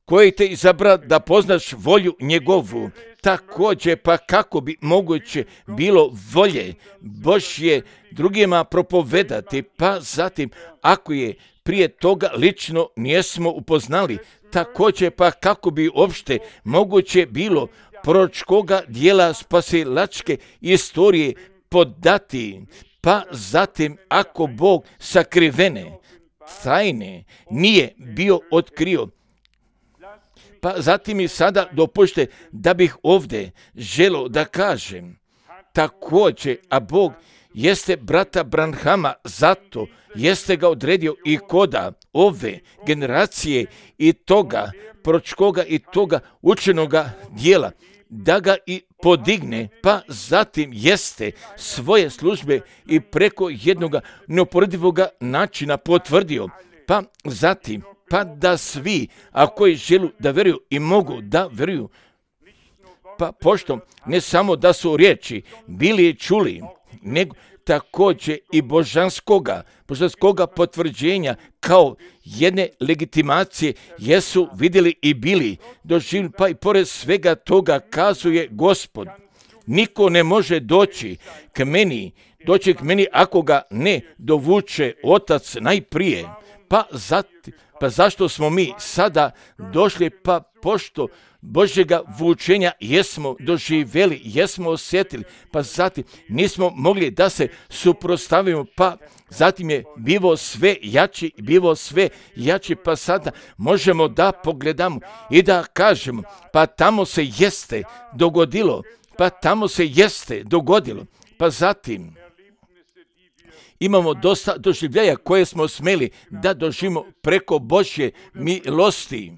koji te izabra, da poznaš volju njegovu, također pa kako bi moguće bilo volje Božje drugima propovedati, pa zatim ako je prije toga lično nismo upoznali, također pa kako bi uopšte moguće bilo proročkoga dijela spasilačke istorije podati, pa zatim ako Bog sakrivene tajne nije bio otkrio, pa zatim i sada dopušte da bih ovdje želio da kažem također, a Bog jeste brata Branhama zato jeste ga odredio i koda ove generacije i toga proročkoga i toga učenoga dijela da ga i podigne, pa zatim jeste svoje službe i preko jednoga neuporedivoga načina potvrdio, pa zatim pa da svi, a koji žele da vjeruju i mogu da vjeruju, pa pošto ne samo da su riječi bili i čuli, nego također i božanskoga, božanskoga potvrđenja kao jedne legitimacije jesu vidjeli i bili doživjeli, pa i pored svega toga kazuje Gospod, niko ne može doći k meni, doći k meni ako ga ne dovuče Otac najprije, pa, zati, pa zašto smo mi sada došli, pa pošto Božjega vučenja jesmo doživjeli, jesmo osjetili, pa zatim nismo mogli da se suprotstavimo, pa zatim je bivo sve jači, bivo sve jači, pa sada možemo da pogledamo i da kažemo, pa tamo se jeste dogodilo, pa tamo se jeste dogodilo, pa zatim imamo dosta doživljaja koje smo smeli da doživimo preko Božje milosti.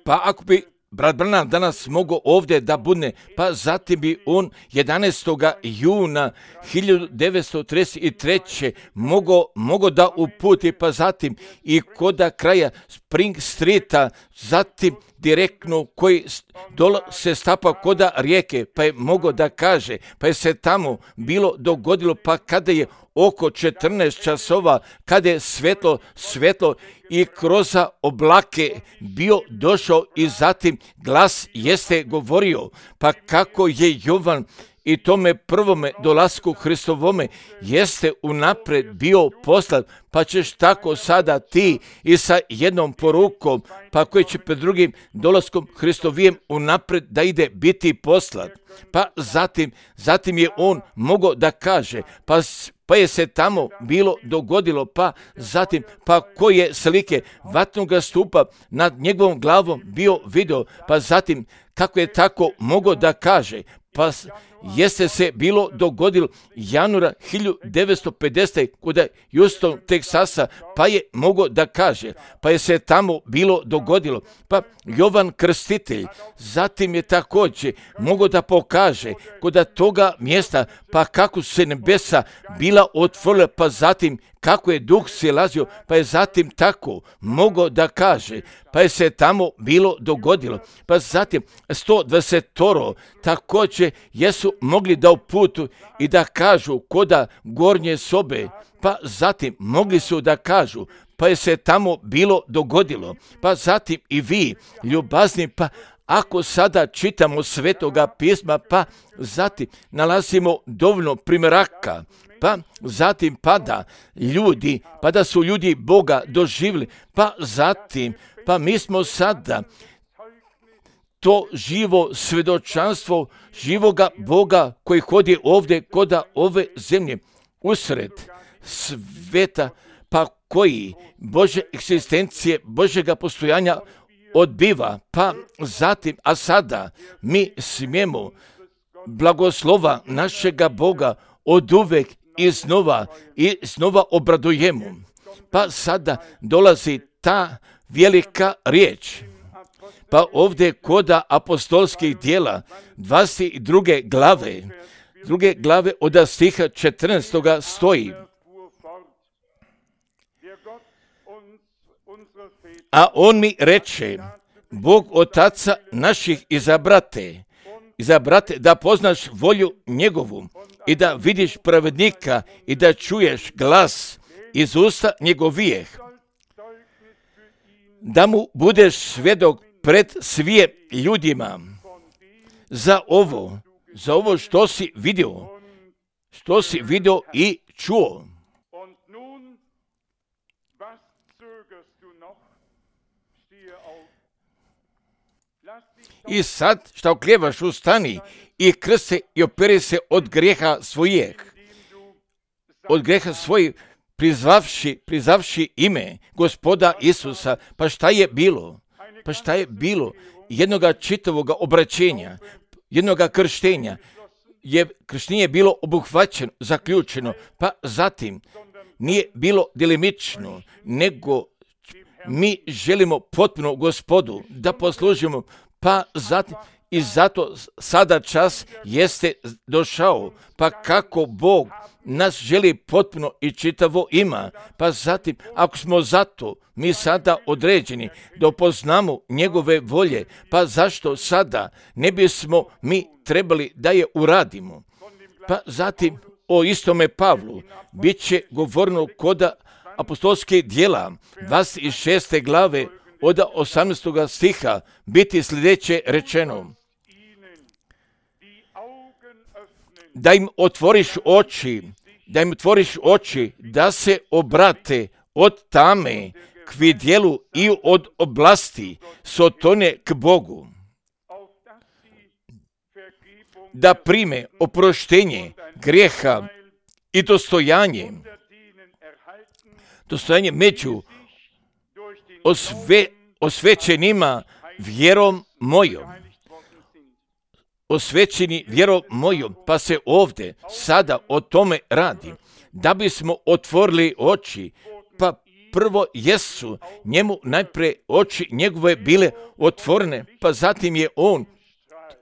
Pa ako bi brat Branham danas mogao ovdje da budne, pa zatim bi on jedanaestog juna hiljadu devetsto trideset treće mogao, mogao da uputi, pa zatim i koda kraja Spring Streeta, zatim direktno koji dolo se stapa koda rijeke, pa je mogao da kaže, pa je se tamo bilo dogodilo, pa kada je oko četrnaest časova, kada je svetlo, svetlo i kroz oblake bio došao i zatim glas jeste govorio, pa kako je Jovan i tome prvome dolasku Hristovome jeste unapred bio poslat, pa ćeš tako sada ti i sa jednom porukom, pa koji će pred drugim dolaskom Hristovijem unapred da ide biti poslat. Pa zatim, zatim je on mogao da kaže, pa pa je se tamo bilo dogodilo, pa zatim, pa koje slike vatnoga stupa nad njegovom glavom bio video, pa zatim kako je tako mogao da kaže, pa jeste se bilo dogodilo januara hiljadu devetsto pedesete kod Houston, Teksasa, pa je mogao da kaže, pa je se tamo bilo dogodilo, pa Jovan Krstitelj, zatim je također mogao da pokaže kod toga mjesta, pa kako su se nebesa bila otvorila, pa zatim kako je duh silazio, pa je zatim tako mogao da kaže, pa je se tamo bilo dogodilo, pa zatim sto dvadeset također jesu mogli da uputu i da kažu koda gornje sobe, pa zatim mogli su da kažu, pa je se tamo bilo dogodilo, pa zatim i vi, ljubazni, pa ako sada čitamo Svetoga pisma, pa zatim nalazimo dovoljno primjeraka, pa zatim pada ljudi, pa da su ljudi Boga doživjeli, pa zatim, pa mi smo sada to živo svjedočanstvo živoga Boga koji hodi ovdje koda ove zemlje, usred sveta, pa koji Bože egzistencije, Božega postojanja odbiva, pa zatim, a sada mi smijemo blagoslova našega Boga oduvek i znova i znova obradujemo. Pa sada dolazi ta velika riječ. Pa ovdje koda apostolskih djela dvadeset druge glave, druge glave od stiha četrnaestog stoji. A on mi reče, Bog otaca naših izabrate, izabrate da poznaš volju njegovu i da vidiš pravednika i da čuješ glas iz usta njegovijeh, da mu budeš svjedok pred svije ljudima za ovo, za ovo što si vidio, što si vidio i čuo. I sad šta okljevaš, ustani i krse i operi se od grijeha svojih, od grijeha svojih, prizvavši, prizvavši ime Gospoda Isusa. Pa šta je bilo? Pa šta je bilo? Jednoga čitavoga obraćenja, jednoga krštenja, je krštenje bilo obuhvaćeno, zaključeno, pa zatim nije bilo delimično, nego mi želimo potpuno Gospodu da poslužimo, pa zatim i zato sada čas jeste došao, pa kako Bog nas želi potpuno i čitavo ima, pa zatim ako smo zato mi sada određeni da upoznamo njegove volje, pa zašto sada ne bismo mi trebali da je uradimo? Pa zatim o istome Pavlu bit će govorno koda apostolskih djela dvadeset šeste glave od osamnaestog stiha biti sljedeće rečeno: da im otvoriš oči, da im otvoriš oči, da se obrate od tame k vidjelu i od oblasti sotone k Bogu, da prime oproštenje grijeha i dostojanje, dostojanje među osve, osvećenima vjerom mojom. Osvećeni vjerom mojom, pa se ovdje sada o tome radi, da bismo otvorili oči, pa prvo jesu njemu najprije oči njegove bile otvorene, pa zatim je on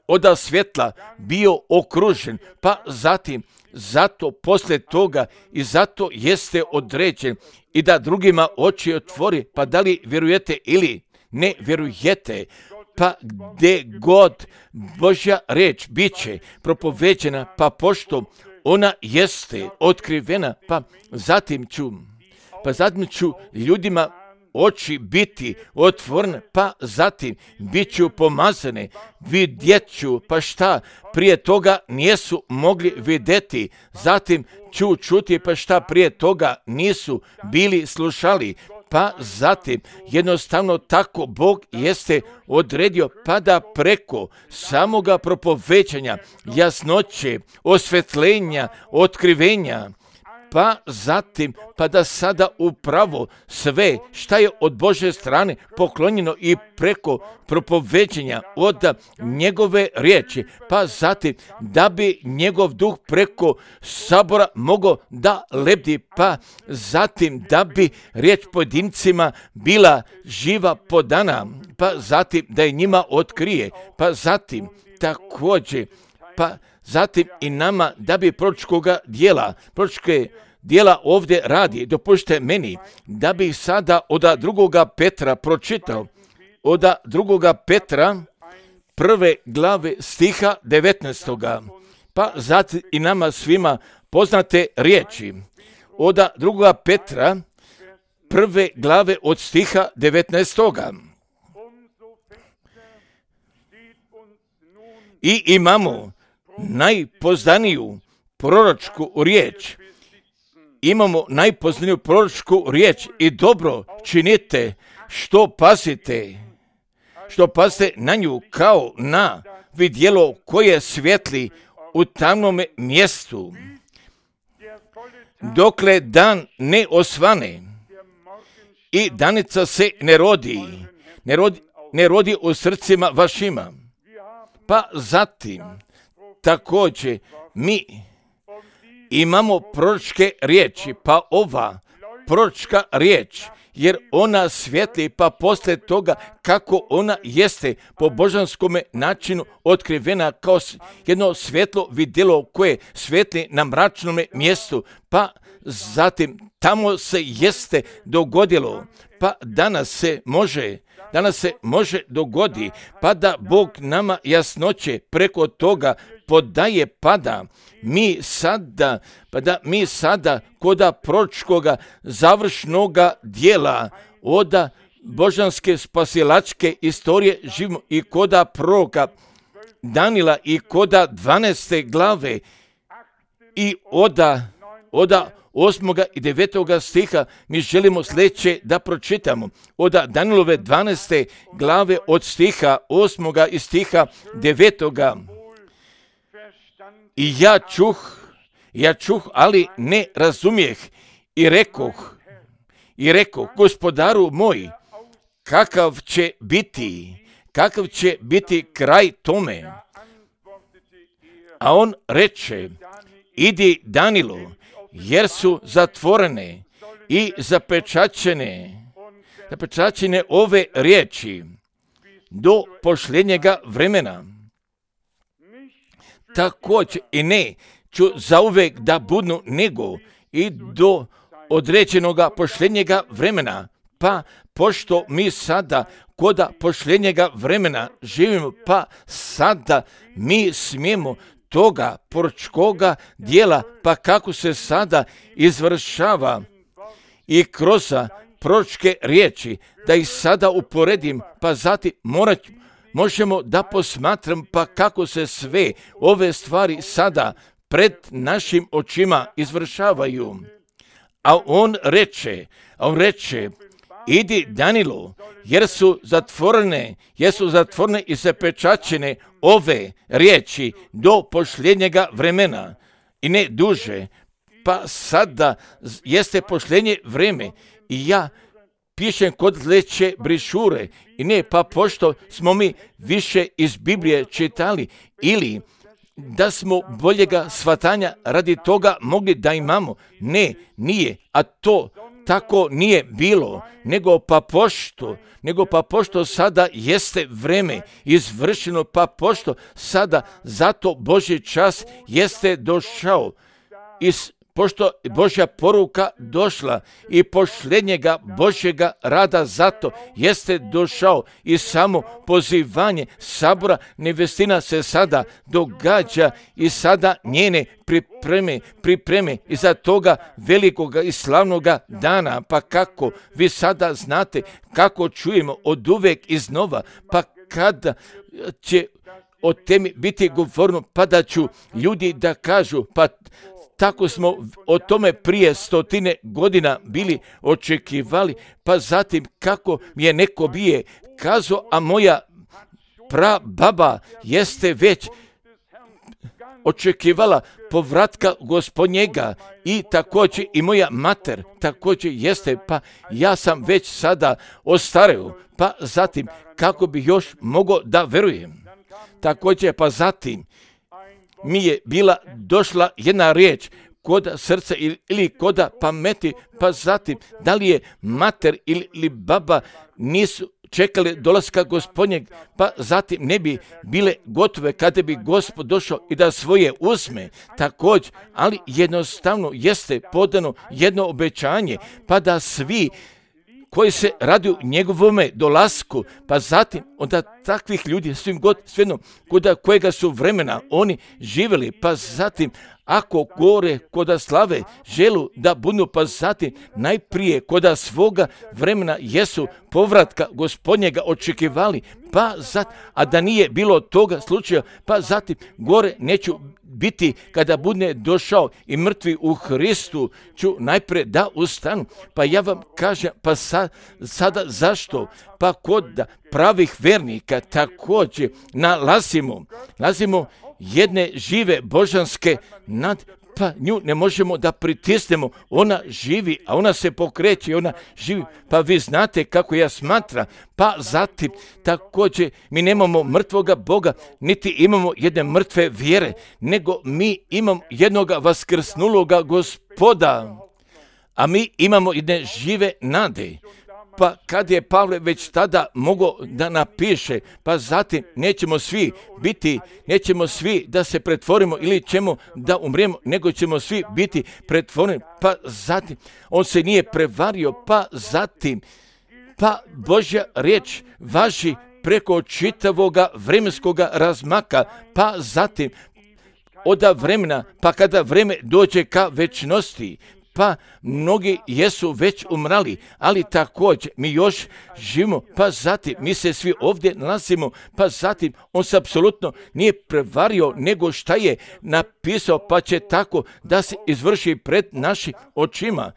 od svjetla bio okružen, pa zatim zato poslije toga i zato jeste određen i da drugima oči otvori, pa da li vjerujete ili ne vjerujete, pa gdje god Božja riječ bit će propoveđena, pa pošto ona jeste otkrivena, pa zatim ću, pa zatim ću ljudima oči biti otvorene, pa zatim bit ću pomazane, vidjet ću, pa šta prije toga nisu mogli vidjeti, zatim ću čuti, pa šta prije toga nisu bili slušali, pa zatim jednostavno tako Bog jeste odredio, pa da preko samoga propovećanja, jasnoće, osvetljenja, otkrivenja, pa zatim, pa da sada upravo sve šta je od Božje strane poklonjeno i preko propoveđenja od njegove riječi, pa zatim da bi njegov duh preko sabora mogao da lebdi, pa zatim da bi riječ pojedincima bila živa podana, pa zatim da je njima otkrije, pa zatim također, pa zatim i nama da bi proročkoga dijela, proročke dijela ovdje radi, dopušte meni da bi sada od drugoga Petra pročitao, od drugoga Petra prve glave stiha devetnaestoga, pa zatim i nama svima poznate riječi, od drugoga Petra prve glave od stiha devetnaestoga. I imamo najpoznaniju proročku riječ. Imamo najpoznaniju proročku riječ i dobro činite što pazite, što pazite na nju kao na vidjelo koje svijetli u tamnome mjestu, dokle dan ne osvane i danica se ne rodi, ne rodi, ne rodi u srcima vašima. Pa zatim također mi imamo proročke riječi, pa ova proročka riječ, jer ona svijetli, pa poslije toga kako ona jeste po božanskome načinu otkrivena kao jedno svjetlo vidjelo koje svijetli na mračnome mjestu, pa zatim tamo se jeste dogodilo, pa danas se može Danas se može dogodi, pa da Bog nama jasnoće preko toga podaje, pa da mi sada, pa da mi sada koda proročkoga završnoga dijela od božanske spasilačke istorije živimo i koda proroka Danila i koda dvanaeste glave i oda, oda osmoga i devetoga stiha mi želimo sljedeće da pročitamo. Od Danilove dvanaeste glave od stiha osmoga i stiha devetoga. I ja čuh, ja čuh, ali ne razumijeh i rekoh, i rekoh, gospodaru moj, kakav će biti, kakav će biti kraj tome. A on reče, idi Danilu, jer su zatvorene i zapečaćene, zapečaćene ove riječi do posljednjega vremena. Također i ne ću zauvek da budnu nego i do određenoga posljednjega vremena, pa pošto mi sada koda posljednjega vremena živimo, pa sada mi smijemo toga proročkoga dijela, pa kako se sada izvršava i kroz proročke riječi, da ih sada uporedim, pa zatim morat, možemo da posmatram, pa kako se sve ove stvari sada pred našim očima izvršavaju. A on reče, a on reče, idi Danilu, jer su zatvorene, jer su zatvorene i zapečaćene ove riječi do posljednjega vremena i ne duže, pa sada jeste posljednje vreme i ja pišem kod leće brišure i ne, pa pošto smo mi više iz Biblije čitali ili da smo boljega shvatanja radi toga mogli da imamo, ne, nije, a to tako nije bilo, nego pa pošto, nego pa pošto sada jeste vreme izvršeno, pa pošto sada zato Božji čas jeste došao, i pošto Božja poruka došla i posljednjega Božjega rada zato jeste došao i samo pozivanje sabora nevestina se sada događa i sada njene pripreme, pripreme iza toga velikoga i slavnoga dana. Pa kako vi sada znate, kako čujemo od uvek iznova, pa kada će o temi biti govorno, pa da ću ljudi da kažu, pa tako smo o tome prije stotine godina bili očekivali, pa zatim kako mi je neko bije kazao, a moja prababa jeste već očekivala povratka Gospodnjega i također i moja mater također jeste, pa ja sam već sada ostareo, pa zatim kako bi još mogao da verujem. Također pa zatim mi je bila došla jedna riječ koda srca ili koda pameti, pa zatim da li je mater ili baba nisu čekali dolaska Gospodnjeg, pa zatim ne bi bile gotove kada bi Gospod došao i da svoje uzme također, ali jednostavno jeste podano jedno obećanje, pa da svi koji se radi u njegovome dolasku, pa zatim onda takvih ljudi svim god svejedno koda kojega su vremena oni živjeli, pa zatim ako gore koda slave želu da budu, pa zatim najprije koda svoga vremena jesu povratka Gospodnjega očekivali, pa zatim, a da nije bilo toga slučaja, pa zatim gore neću biti kada bude došao i mrtvi u Hristu ću najprije da ustanu. Pa ja vam kažem, pa sa, sada zašto? Pa kod pravih vernika također nalazimo, nalazimo jedne žive božanske nad, pa nju ne možemo da pritisnemo, ona živi, a ona se pokreće, ona živi, pa vi znate kako ja smatram, pa zatim također mi nemamo mrtvoga Boga, niti imamo jedne mrtve vjere, nego mi imamo jednoga vaskrsnuloga Gospoda, a mi imamo jedne žive nade. Pa kad je Pavle već tada mogao da napiše, pa zatim nećemo svi biti, nećemo svi da se pretvorimo ili ćemo da umrijemo, nego ćemo svi biti pretvoreni, pa zatim on se nije prevario, pa zatim, pa Božja riječ važi preko čitavoga vremenskoga razmaka, pa zatim od vremena, pa kada vreme dođe ka večnosti, pa mnogi jesu već umrali, ali također mi još živimo, pa zatim mi se svi ovdje nalazimo, pa zatim on se apsolutno nije prevario nego šta je napisao, pa će tako da se izvrši pred našim očima,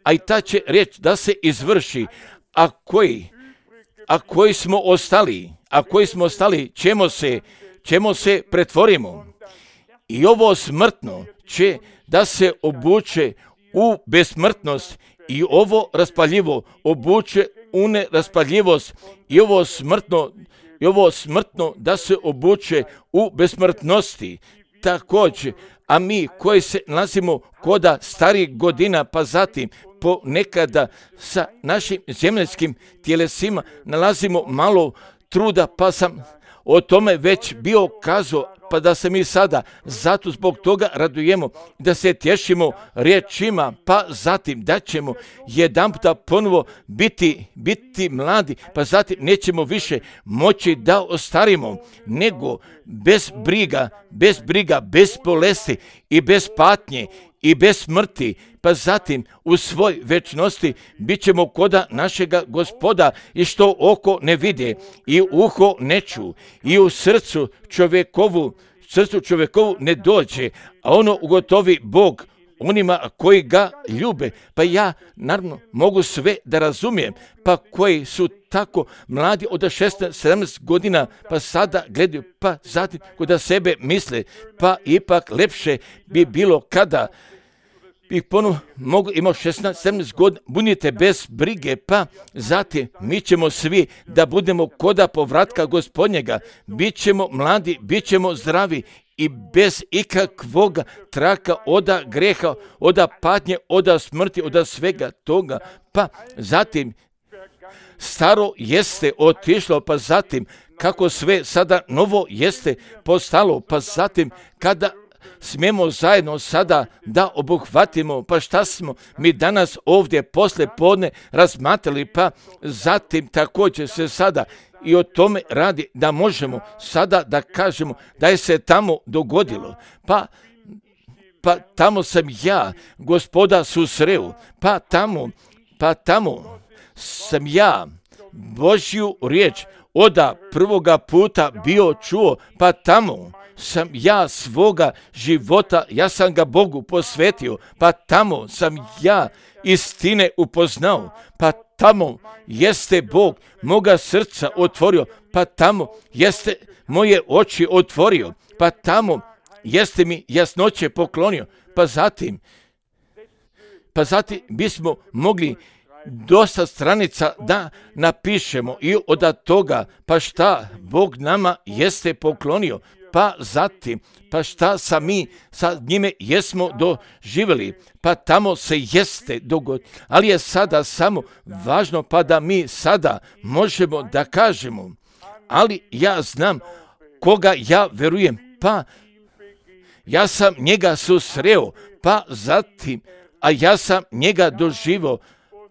a i ta će riječ da se izvrši, a koji, a koji smo ostali, a koji smo ostali, ćemo se, ćemo se pretvorimo. I ovo smrtno će da se obuče u besmrtnost i ovo raspaljivo obuče u neraspaljivost i ovo smrtno, i ovo smrtno da se obuče u besmrtnosti. Također, a mi koji se nalazimo koda starih godina, pa zatim ponekada sa našim zemaljskim tjelesima nalazimo malo truda, pa sam o tome već bio kazao, pa da se mi sada zato zbog toga radujemo, da se tješimo riječima, pa zatim da ćemo jedanputa ponovo biti, biti mladi, pa zatim nećemo više moći da ostarimo, nego bez briga, bez briga, bez bolesti i bez patnje i bez smrti, pa zatim u svoj večnosti bit ćemo koda našega Gospoda i što oko ne vide i uho ne ču i u srcu čovjekovu, srcu čovjekovu ne dođe, a ono ugotovi Bog onima koji ga ljube. Pa ja naravno mogu sve da razumijem, pa koji su tako mladi od šesnaest sedamnaest godina, pa sada gledaju, pa zatim kod sebe misle, pa ipak lepše bi bilo kada bih ponovno mogu imao šesnaest sedamnaest godina, budite bez brige, pa zatim mi ćemo svi da budemo koda povratka Gospodnjega, bit ćemo mladi, bit ćemo zdravi i bez ikakvog traka oda greha, oda patnje, oda smrti, oda svega toga. Pa zatim staro jeste otišlo, pa zatim kako sve sada novo jeste postalo, pa zatim kada smijemo zajedno sada da obuhvatimo, pa šta smo mi danas ovdje posle podne razmatrali, pa zatim također se sada i o tome radi da možemo sada da kažemo da je se tamo dogodilo, pa pa tamo sam ja Gospoda susreo, pa tamo, pa tamo sam ja Božju riječ oda prvoga puta bio čuo, pa tamo sam ja svoga života, ja sam ga Bogu posvetio, pa tamo sam ja istine upoznao, pa tamo jeste Bog moga srca otvorio, pa tamo jeste moje oči otvorio, pa tamo jeste mi jasnoće poklonio, pa zatim, pa zatim bismo mogli dosta stranica da napišemo i od toga, pa šta Bog nama jeste poklonio, pa zatim, pa šta sa mi sa njime jesmo doživjeli, pa tamo se jeste dogodilo, ali je sada samo važno pa da mi sada možemo da kažemo, ali ja znam koga ja verujem, pa ja sam njega susreo, pa zatim, a ja sam njega doživio,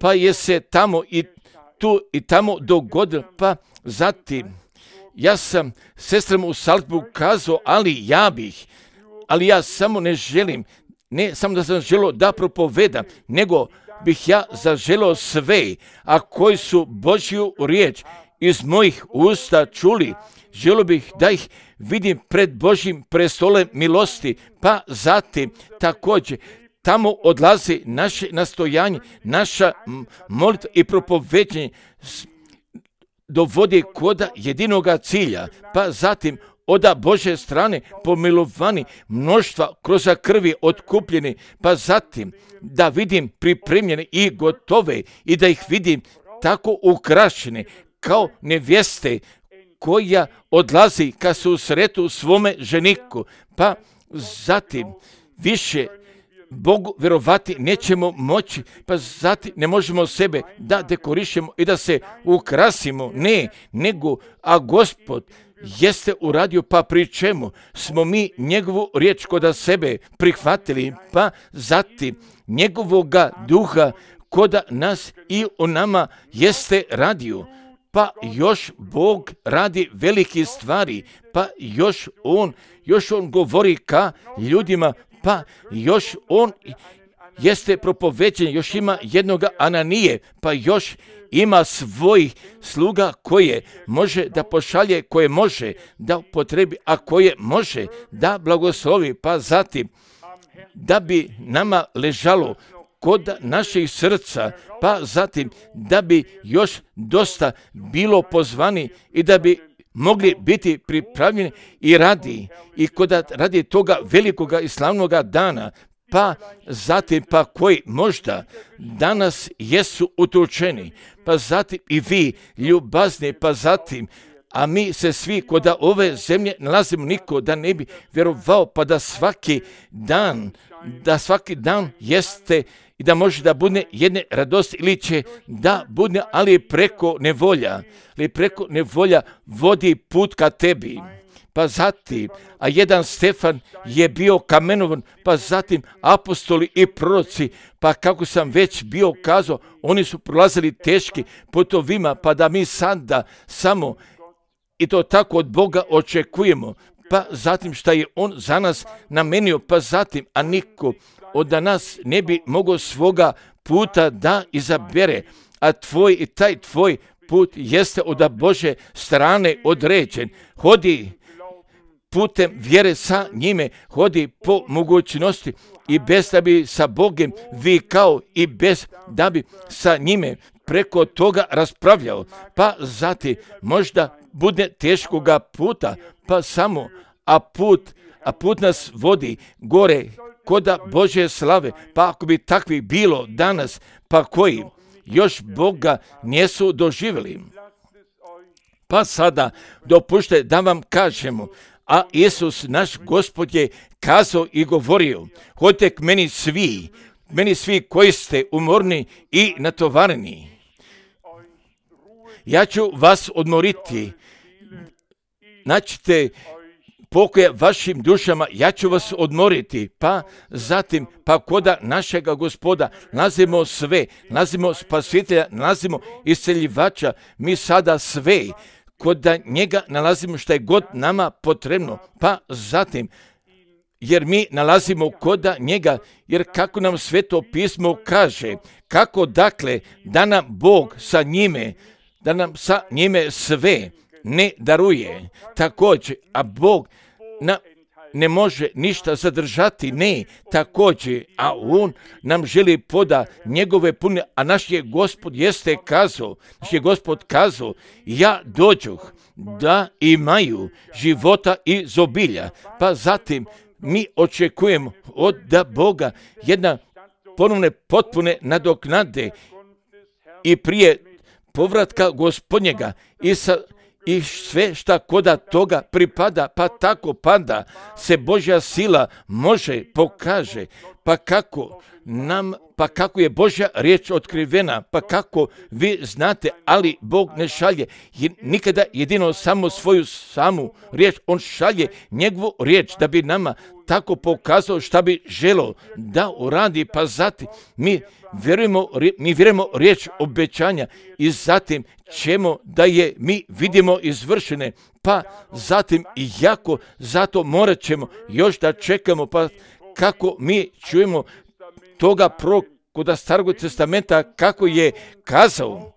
pa je se tamo i tu i tamo dogodilo, pa zatim ja sam sestrama u Salzburgu kazao, ali ja bih, ali ja samo ne želim, ne samo da sam želio da propovedam, nego bih ja zaželio sve, a koji su Božju riječ iz mojih usta čuli, želio bih da ih vidim pred Božjim prestolem milosti, pa zatim također tamo odlazi naše nastojanje, naša molitva i propoveđenje dovodi kod jedinoga cilja, pa zatim oda Božje strane pomilovani mnoštva kroz krvi otkupljeni, pa zatim da vidim pripremljene i gotove i da ih vidim tako ukrašene kao nevjeste koja odlazi ka susretu svome ženiku, pa zatim više Bogu vjerovati nećemo moći, pa zatim ne možemo sebe da dekorišemo i da se ukrasimo, ne, nego, a Gospod jeste uradio, pa pri čemu smo mi njegovu riječ kod sebe prihvatili, pa zatim njegovoga duha kod nas i u nama jeste radio, pa još Bog radi velike stvari, pa još on, još on govori ka ljudima, pa još on jeste propoveđen, još ima jednoga Ananije, pa još ima svojih sluga koje može da pošalje, koje može da potrebi, a koje može da blagoslovi, pa zatim da bi nama ležalo kod naših srca, pa zatim da bi još dosta bilo pozvani i da bi mogli biti pripravljeni i radi, i kod radi toga velikoga i slavnoga dana, pa zatim pa koji možda danas jesu utučeni, pa zatim i vi ljubazni, pa zatim, a mi se svi kod ove zemlje nalazimo, niko da ne bi vjerovao, pa da svaki dan, da svaki dan jeste i da može da bude jedne radosti ili će da bude, ali preko nevolja, ali preko nevolja vodi put ka tebi. Pa zatim, a jedan Stefan je bio kamenovan, pa zatim apostoli i proroci, pa kako sam već bio kazao, oni su prolazili teški putovima, pa da mi sada samo i to tako od Boga očekujemo, pa zatim šta je on za nas namenio, pa zatim, a niko od nas ne bi mogao svoga puta da izabere, a tvoj i taj tvoj put jeste od Bože strane određen. Hodi putem vjere sa njime, hodi po mogućnosti i bez da bi sa Bogom vikao i bez da bi sa njime preko toga raspravljao, pa zatim možda bude teškoga puta, pa samo, a put, a put nas vodi gore koda Božje slave, pa ako bi takvih bilo danas, pa koji još Boga nisu doživjeli. Pa sada dopušte da vam kažemo, A Isus, naš Gospod, je kazao i govorio, hodite k meni svi, meni svi koji ste umorni i natovareni. Ja ću vas odmoriti. Naćite pokoja vašim dušama, ja ću vas odmoriti. Pa zatim, pa koda našega Gospoda nalazimo sve, nalazimo spasitelja, nalazimo isceljivača, mi sada sve kod njega nalazimo što je god nama potrebno. Pa zatim, jer mi nalazimo koda njega, jer kako nam Sveto pismo kaže, kako dakle da nam Bog sa njime, da nam sa njime sve ne daruje. Također, a Bog na, ne može ništa zadržati, ne, također, a On nam želi poda njegove pune, a naš je Gospod jeste kazao, naš je Gospod kazao, ja dođoh da imaju života i zobilja. Pa zatim mi očekujemo od da Boga jedna ponovne potpune nadoknade i prije povratka Gospodnjega i sa i sve šta koda toga pripada, pa tako pada se Božja sila može pokaže, pa kako nam, pa kako je Božja riječ otkrivena, pa kako vi znate, ali Bog ne šalje nikada jedino samo svoju samu riječ, On šalje njegovu riječ da bi nama tako pokazao šta bi želo da uradi, pa zatim mi vjerujemo, mi vjerujemo riječ obećanja i zatim ćemo da je mi vidimo izvršene, pa zatim i jako zato morat ćemo još da čekamo, pa kako mi čujemo toga proroka kod Starog testamenta kako je kazao,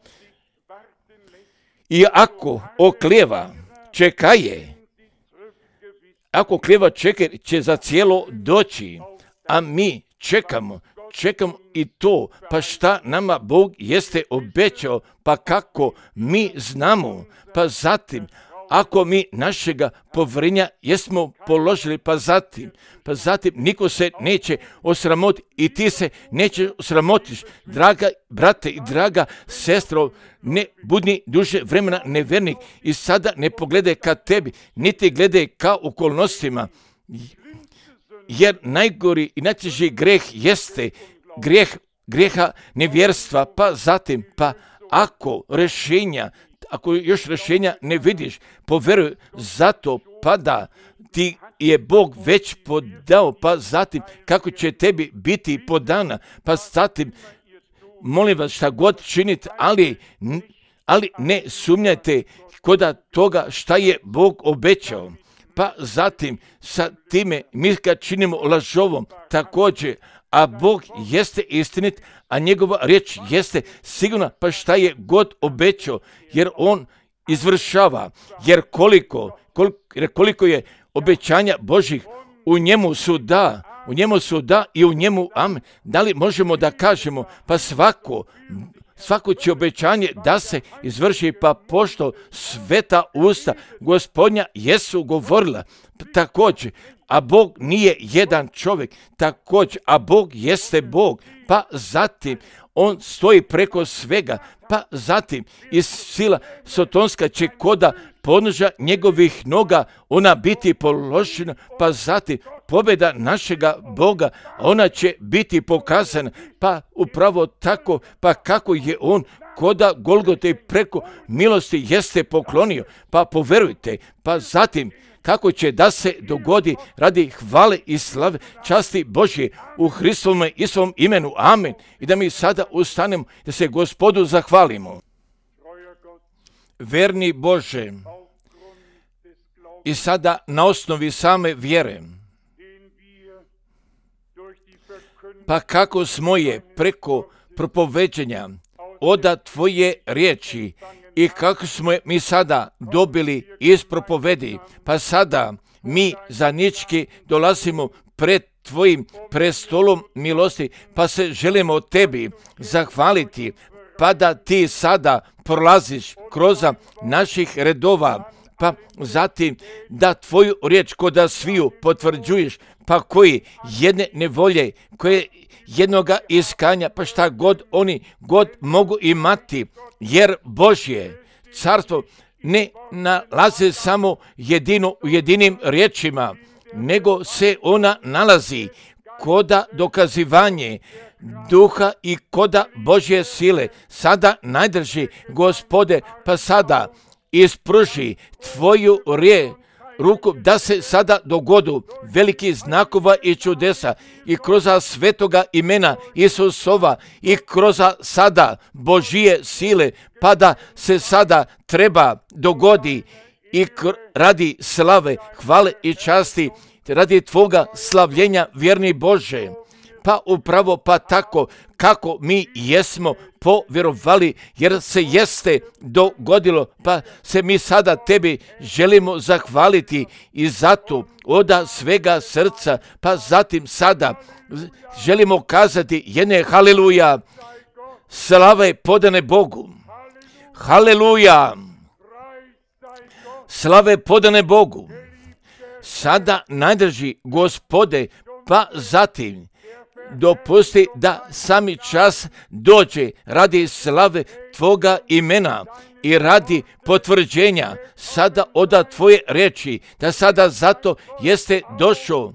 i ako oklijeva čekaje, ako oklijeva čeka će za cijelo doći, a mi čekamo, čekamo i to, pa šta nama Bog jeste obećao, pa kako mi znamo, pa zatim, ako mi našega povjerenja jesmo položili, pa zatim, pa zatim niko se neće osramotiti i ti se neće osramotiš, draga brate i draga sestro, ne budni duže vremena nevernik i sada ne pogledaj ka tebi, niti gledaj ka okolnostima, jer najgori i najteži greh jeste grijeh, grijeha nevjerstva, pa zatim, pa ako rješenja, ako još rješenja ne vidiš, povjeruj, zato pada ti je Bog već podao, pa zatim kako će tebi biti podana, pa zatim molim vas šta god činite, ali, ali ne sumnjajte koda toga šta je Bog obećao. Pa zatim sa time mi ga činimo lažovom također, a Bog jeste istinit, a njegova riječ jeste sigurna, pa šta je god obećao, jer On izvršava, jer koliko, koliko, jer koliko je obećanja Božih, u njemu su da, u njemu su da i u njemu amen. Da li možemo da kažemo, pa svako, svako će obećanje da se izvrši, pa pošto sveta usta Gospodnja jesu govorila, također, a Bog nije jedan čovjek, također, a Bog jeste Bog, pa zatim On stoji preko svega, pa zatim i sila sotonska će koda podnožja njegovih noga ona biti položena, pa zatim pobjeda našega Boga, ona će biti pokazana, pa upravo tako, pa kako je On koda Golgote preko milosti jeste poklonio, pa poverujte, pa zatim kako će da se dogodi radi hvale i slave časti Božje u Hristovome i svom imenu. Amen. I da mi sada ustanemo, da se Gospodu zahvalimo. Verni Bože, i sada na osnovi same vjere, pa kako smo je preko propoveđenja oda Tvoje riječi i kako smo je mi sada dobili iz propovedi, pa sada mi zanički dolazimo pred Tvojim prestolom milosti, pa se želimo Tebi zahvaliti, pa da Ti sada prolaziš kroz naših redova, pa zatim da Tvoju riječ koda sviju potvrđuješ, pa koji jedne nevolje, koje jednoga iskanja, pa šta god oni god mogu imati, jer Božje carstvo ne nalaze samo jedino u jedinim riječima, nego se ona nalazi koda dokazivanje duha i koda Božje sile. Sada najdrži, Gospode, pa sada ispruži tvoju riječ, ruku, da se sada dogodu veliki znakova i čudesa i kroz svetoga imena Isusova i kroz sada Božije sile, pa da se sada treba dogodi i radi slave, hvale i časti, radi tvoga slavljenja, vjerni Bože. Pa upravo pa tako kako mi jesmo povjerovali, jer se jeste dogodilo, pa se mi sada tebi želimo zahvaliti i zato od svega srca, pa zatim sada želimo kazati jedne haleluja, slave podane Bogu, haleluja, slave podane Bogu. Sada najdrži, Gospode, pa zatim dopusti da sami čas dođe radi slave tvoga imena i radi potvrđenja sada od tvoje reči, da sada zato jeste došao.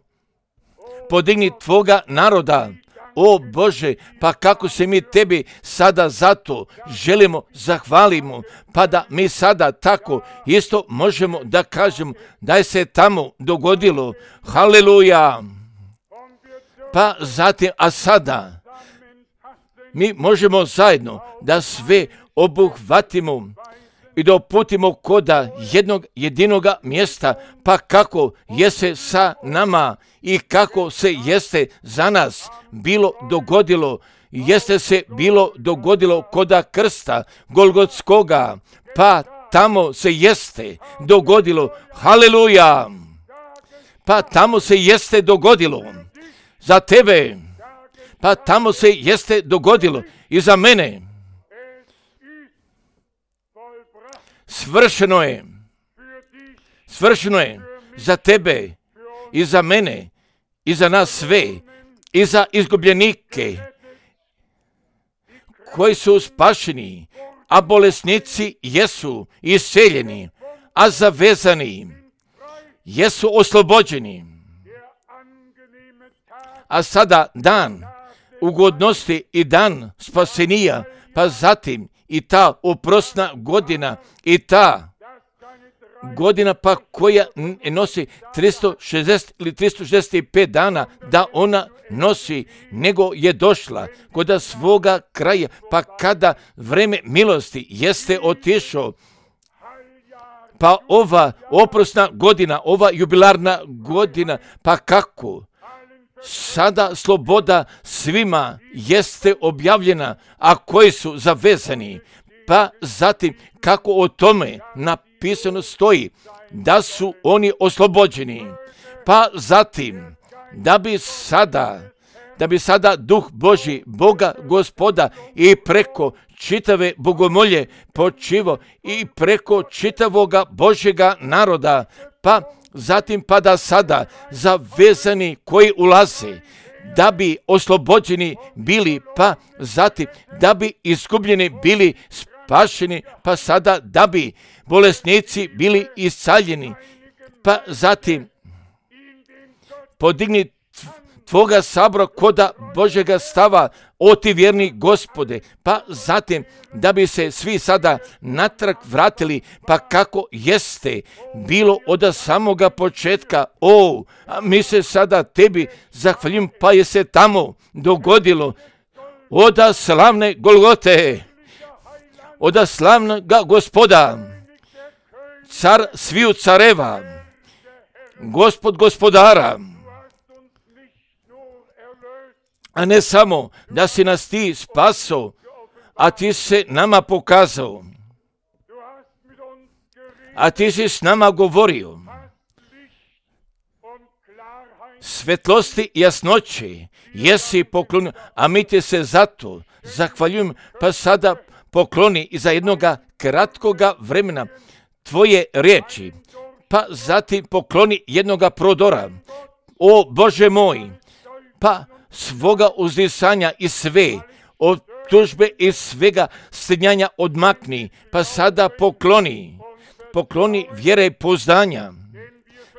Podigni tvoga naroda, o Bože, pa kako se mi tebi sada zato želimo zahvalimo, pa da mi sada tako isto možemo da kažemo da je se tamo dogodilo. Haleluja! Pa zatim, a sada mi možemo zajedno da sve obuhvatimo i doputimo koda jednog jedinoga mjesta, pa kako jeste sa nama i kako se jeste za nas bilo dogodilo, jeste se bilo dogodilo koda krsta Golgotskoga, pa tamo se jeste dogodilo, haleluja, pa tamo se jeste dogodilo za tebe, pa tamo se jeste dogodilo i za mene. Svršeno je, svršeno je za tebe i za mene i za nas sve i za izgubljenike koji su spašeni, a bolesnici jesu iseljeni, a zavezani jesu oslobođeni. A sada dan ugodnosti i dan spasenija, pa zatim i ta oprosna godina i ta godina pa koja nosi tristo šezdeset ili tristo šezdeset pet dana, da ona nosi, nego je došla kod svoga kraja, pa kada vreme milosti jeste otišao, pa ova oprosna godina, ova jubilarna godina, pa kako sada sloboda svima jeste objavljena, a koji su zavezani, pa zatim kako o tome napisano stoji, da su oni oslobođeni, pa zatim da bi sada, da bi sada Duh Božji, Boga Gospoda i preko čitave bogomolje počivo i preko čitavoga Božjega naroda, pa zatim pa da sada zavezani koji ulaze, da bi oslobođeni bili, pa zatim da bi izgubljeni bili spašeni, pa sada da bi bolesnici bili iscaljeni, pa zatim podigni tvoga sabora koda Božjega stava, o ti vjerni Gospode, pa zatim da bi se svi sada natrag vratili, pa kako jeste bilo od samoga početka. O, a mi se sada tebi zahvaljujem, pa je se tamo dogodilo od slavne Golgote, od slavnoga Gospoda, car sviju careva, Gospod gospodara, a ne samo da si nas ti spasao, a ti se nama pokazao, a ti si s nama govorio, svetlosti i jasnoći jesi poklonio, a mi ti se zato zahvaljujem, pa sada pokloni i za jednoga kratkoga vremena tvoje riječi, pa zatim pokloni jednoga prodora, o Bože moj, pa svoga uzdisanja i sve, od tužbe i svega stidnjanja odmakni, pa sada pokloni, pokloni vjere i pouzdanja.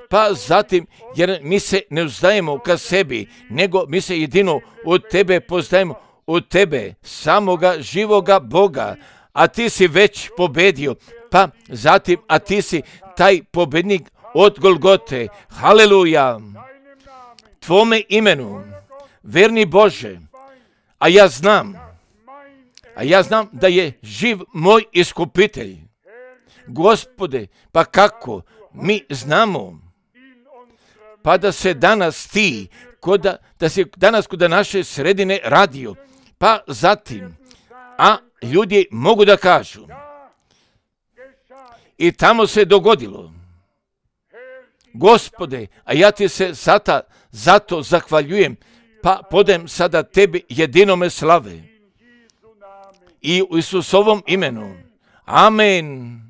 Pa zatim, jer mi se ne uzdajemo ka sebi, nego mi se jedino od tebe pozdajemo, od tebe, samoga živoga Boga, a ti si već pobedio. Pa zatim, a ti si taj pobednik od Golgote. Haleluja! Tvome imenu, verni Bože, a ja znam, a ja znam da je živ moj iskupitelj. Gospode, pa kako mi znamo? Pa da se danas ti, koda, da se danas kod naše sredine radio, pa zatim, a ljudi mogu da kažu, i tamo se dogodilo. Gospode, a ja ti se sata zato zahvaljujem, pa podajem sada tebi jedinome slave. I u Isusovom imenu. Amen.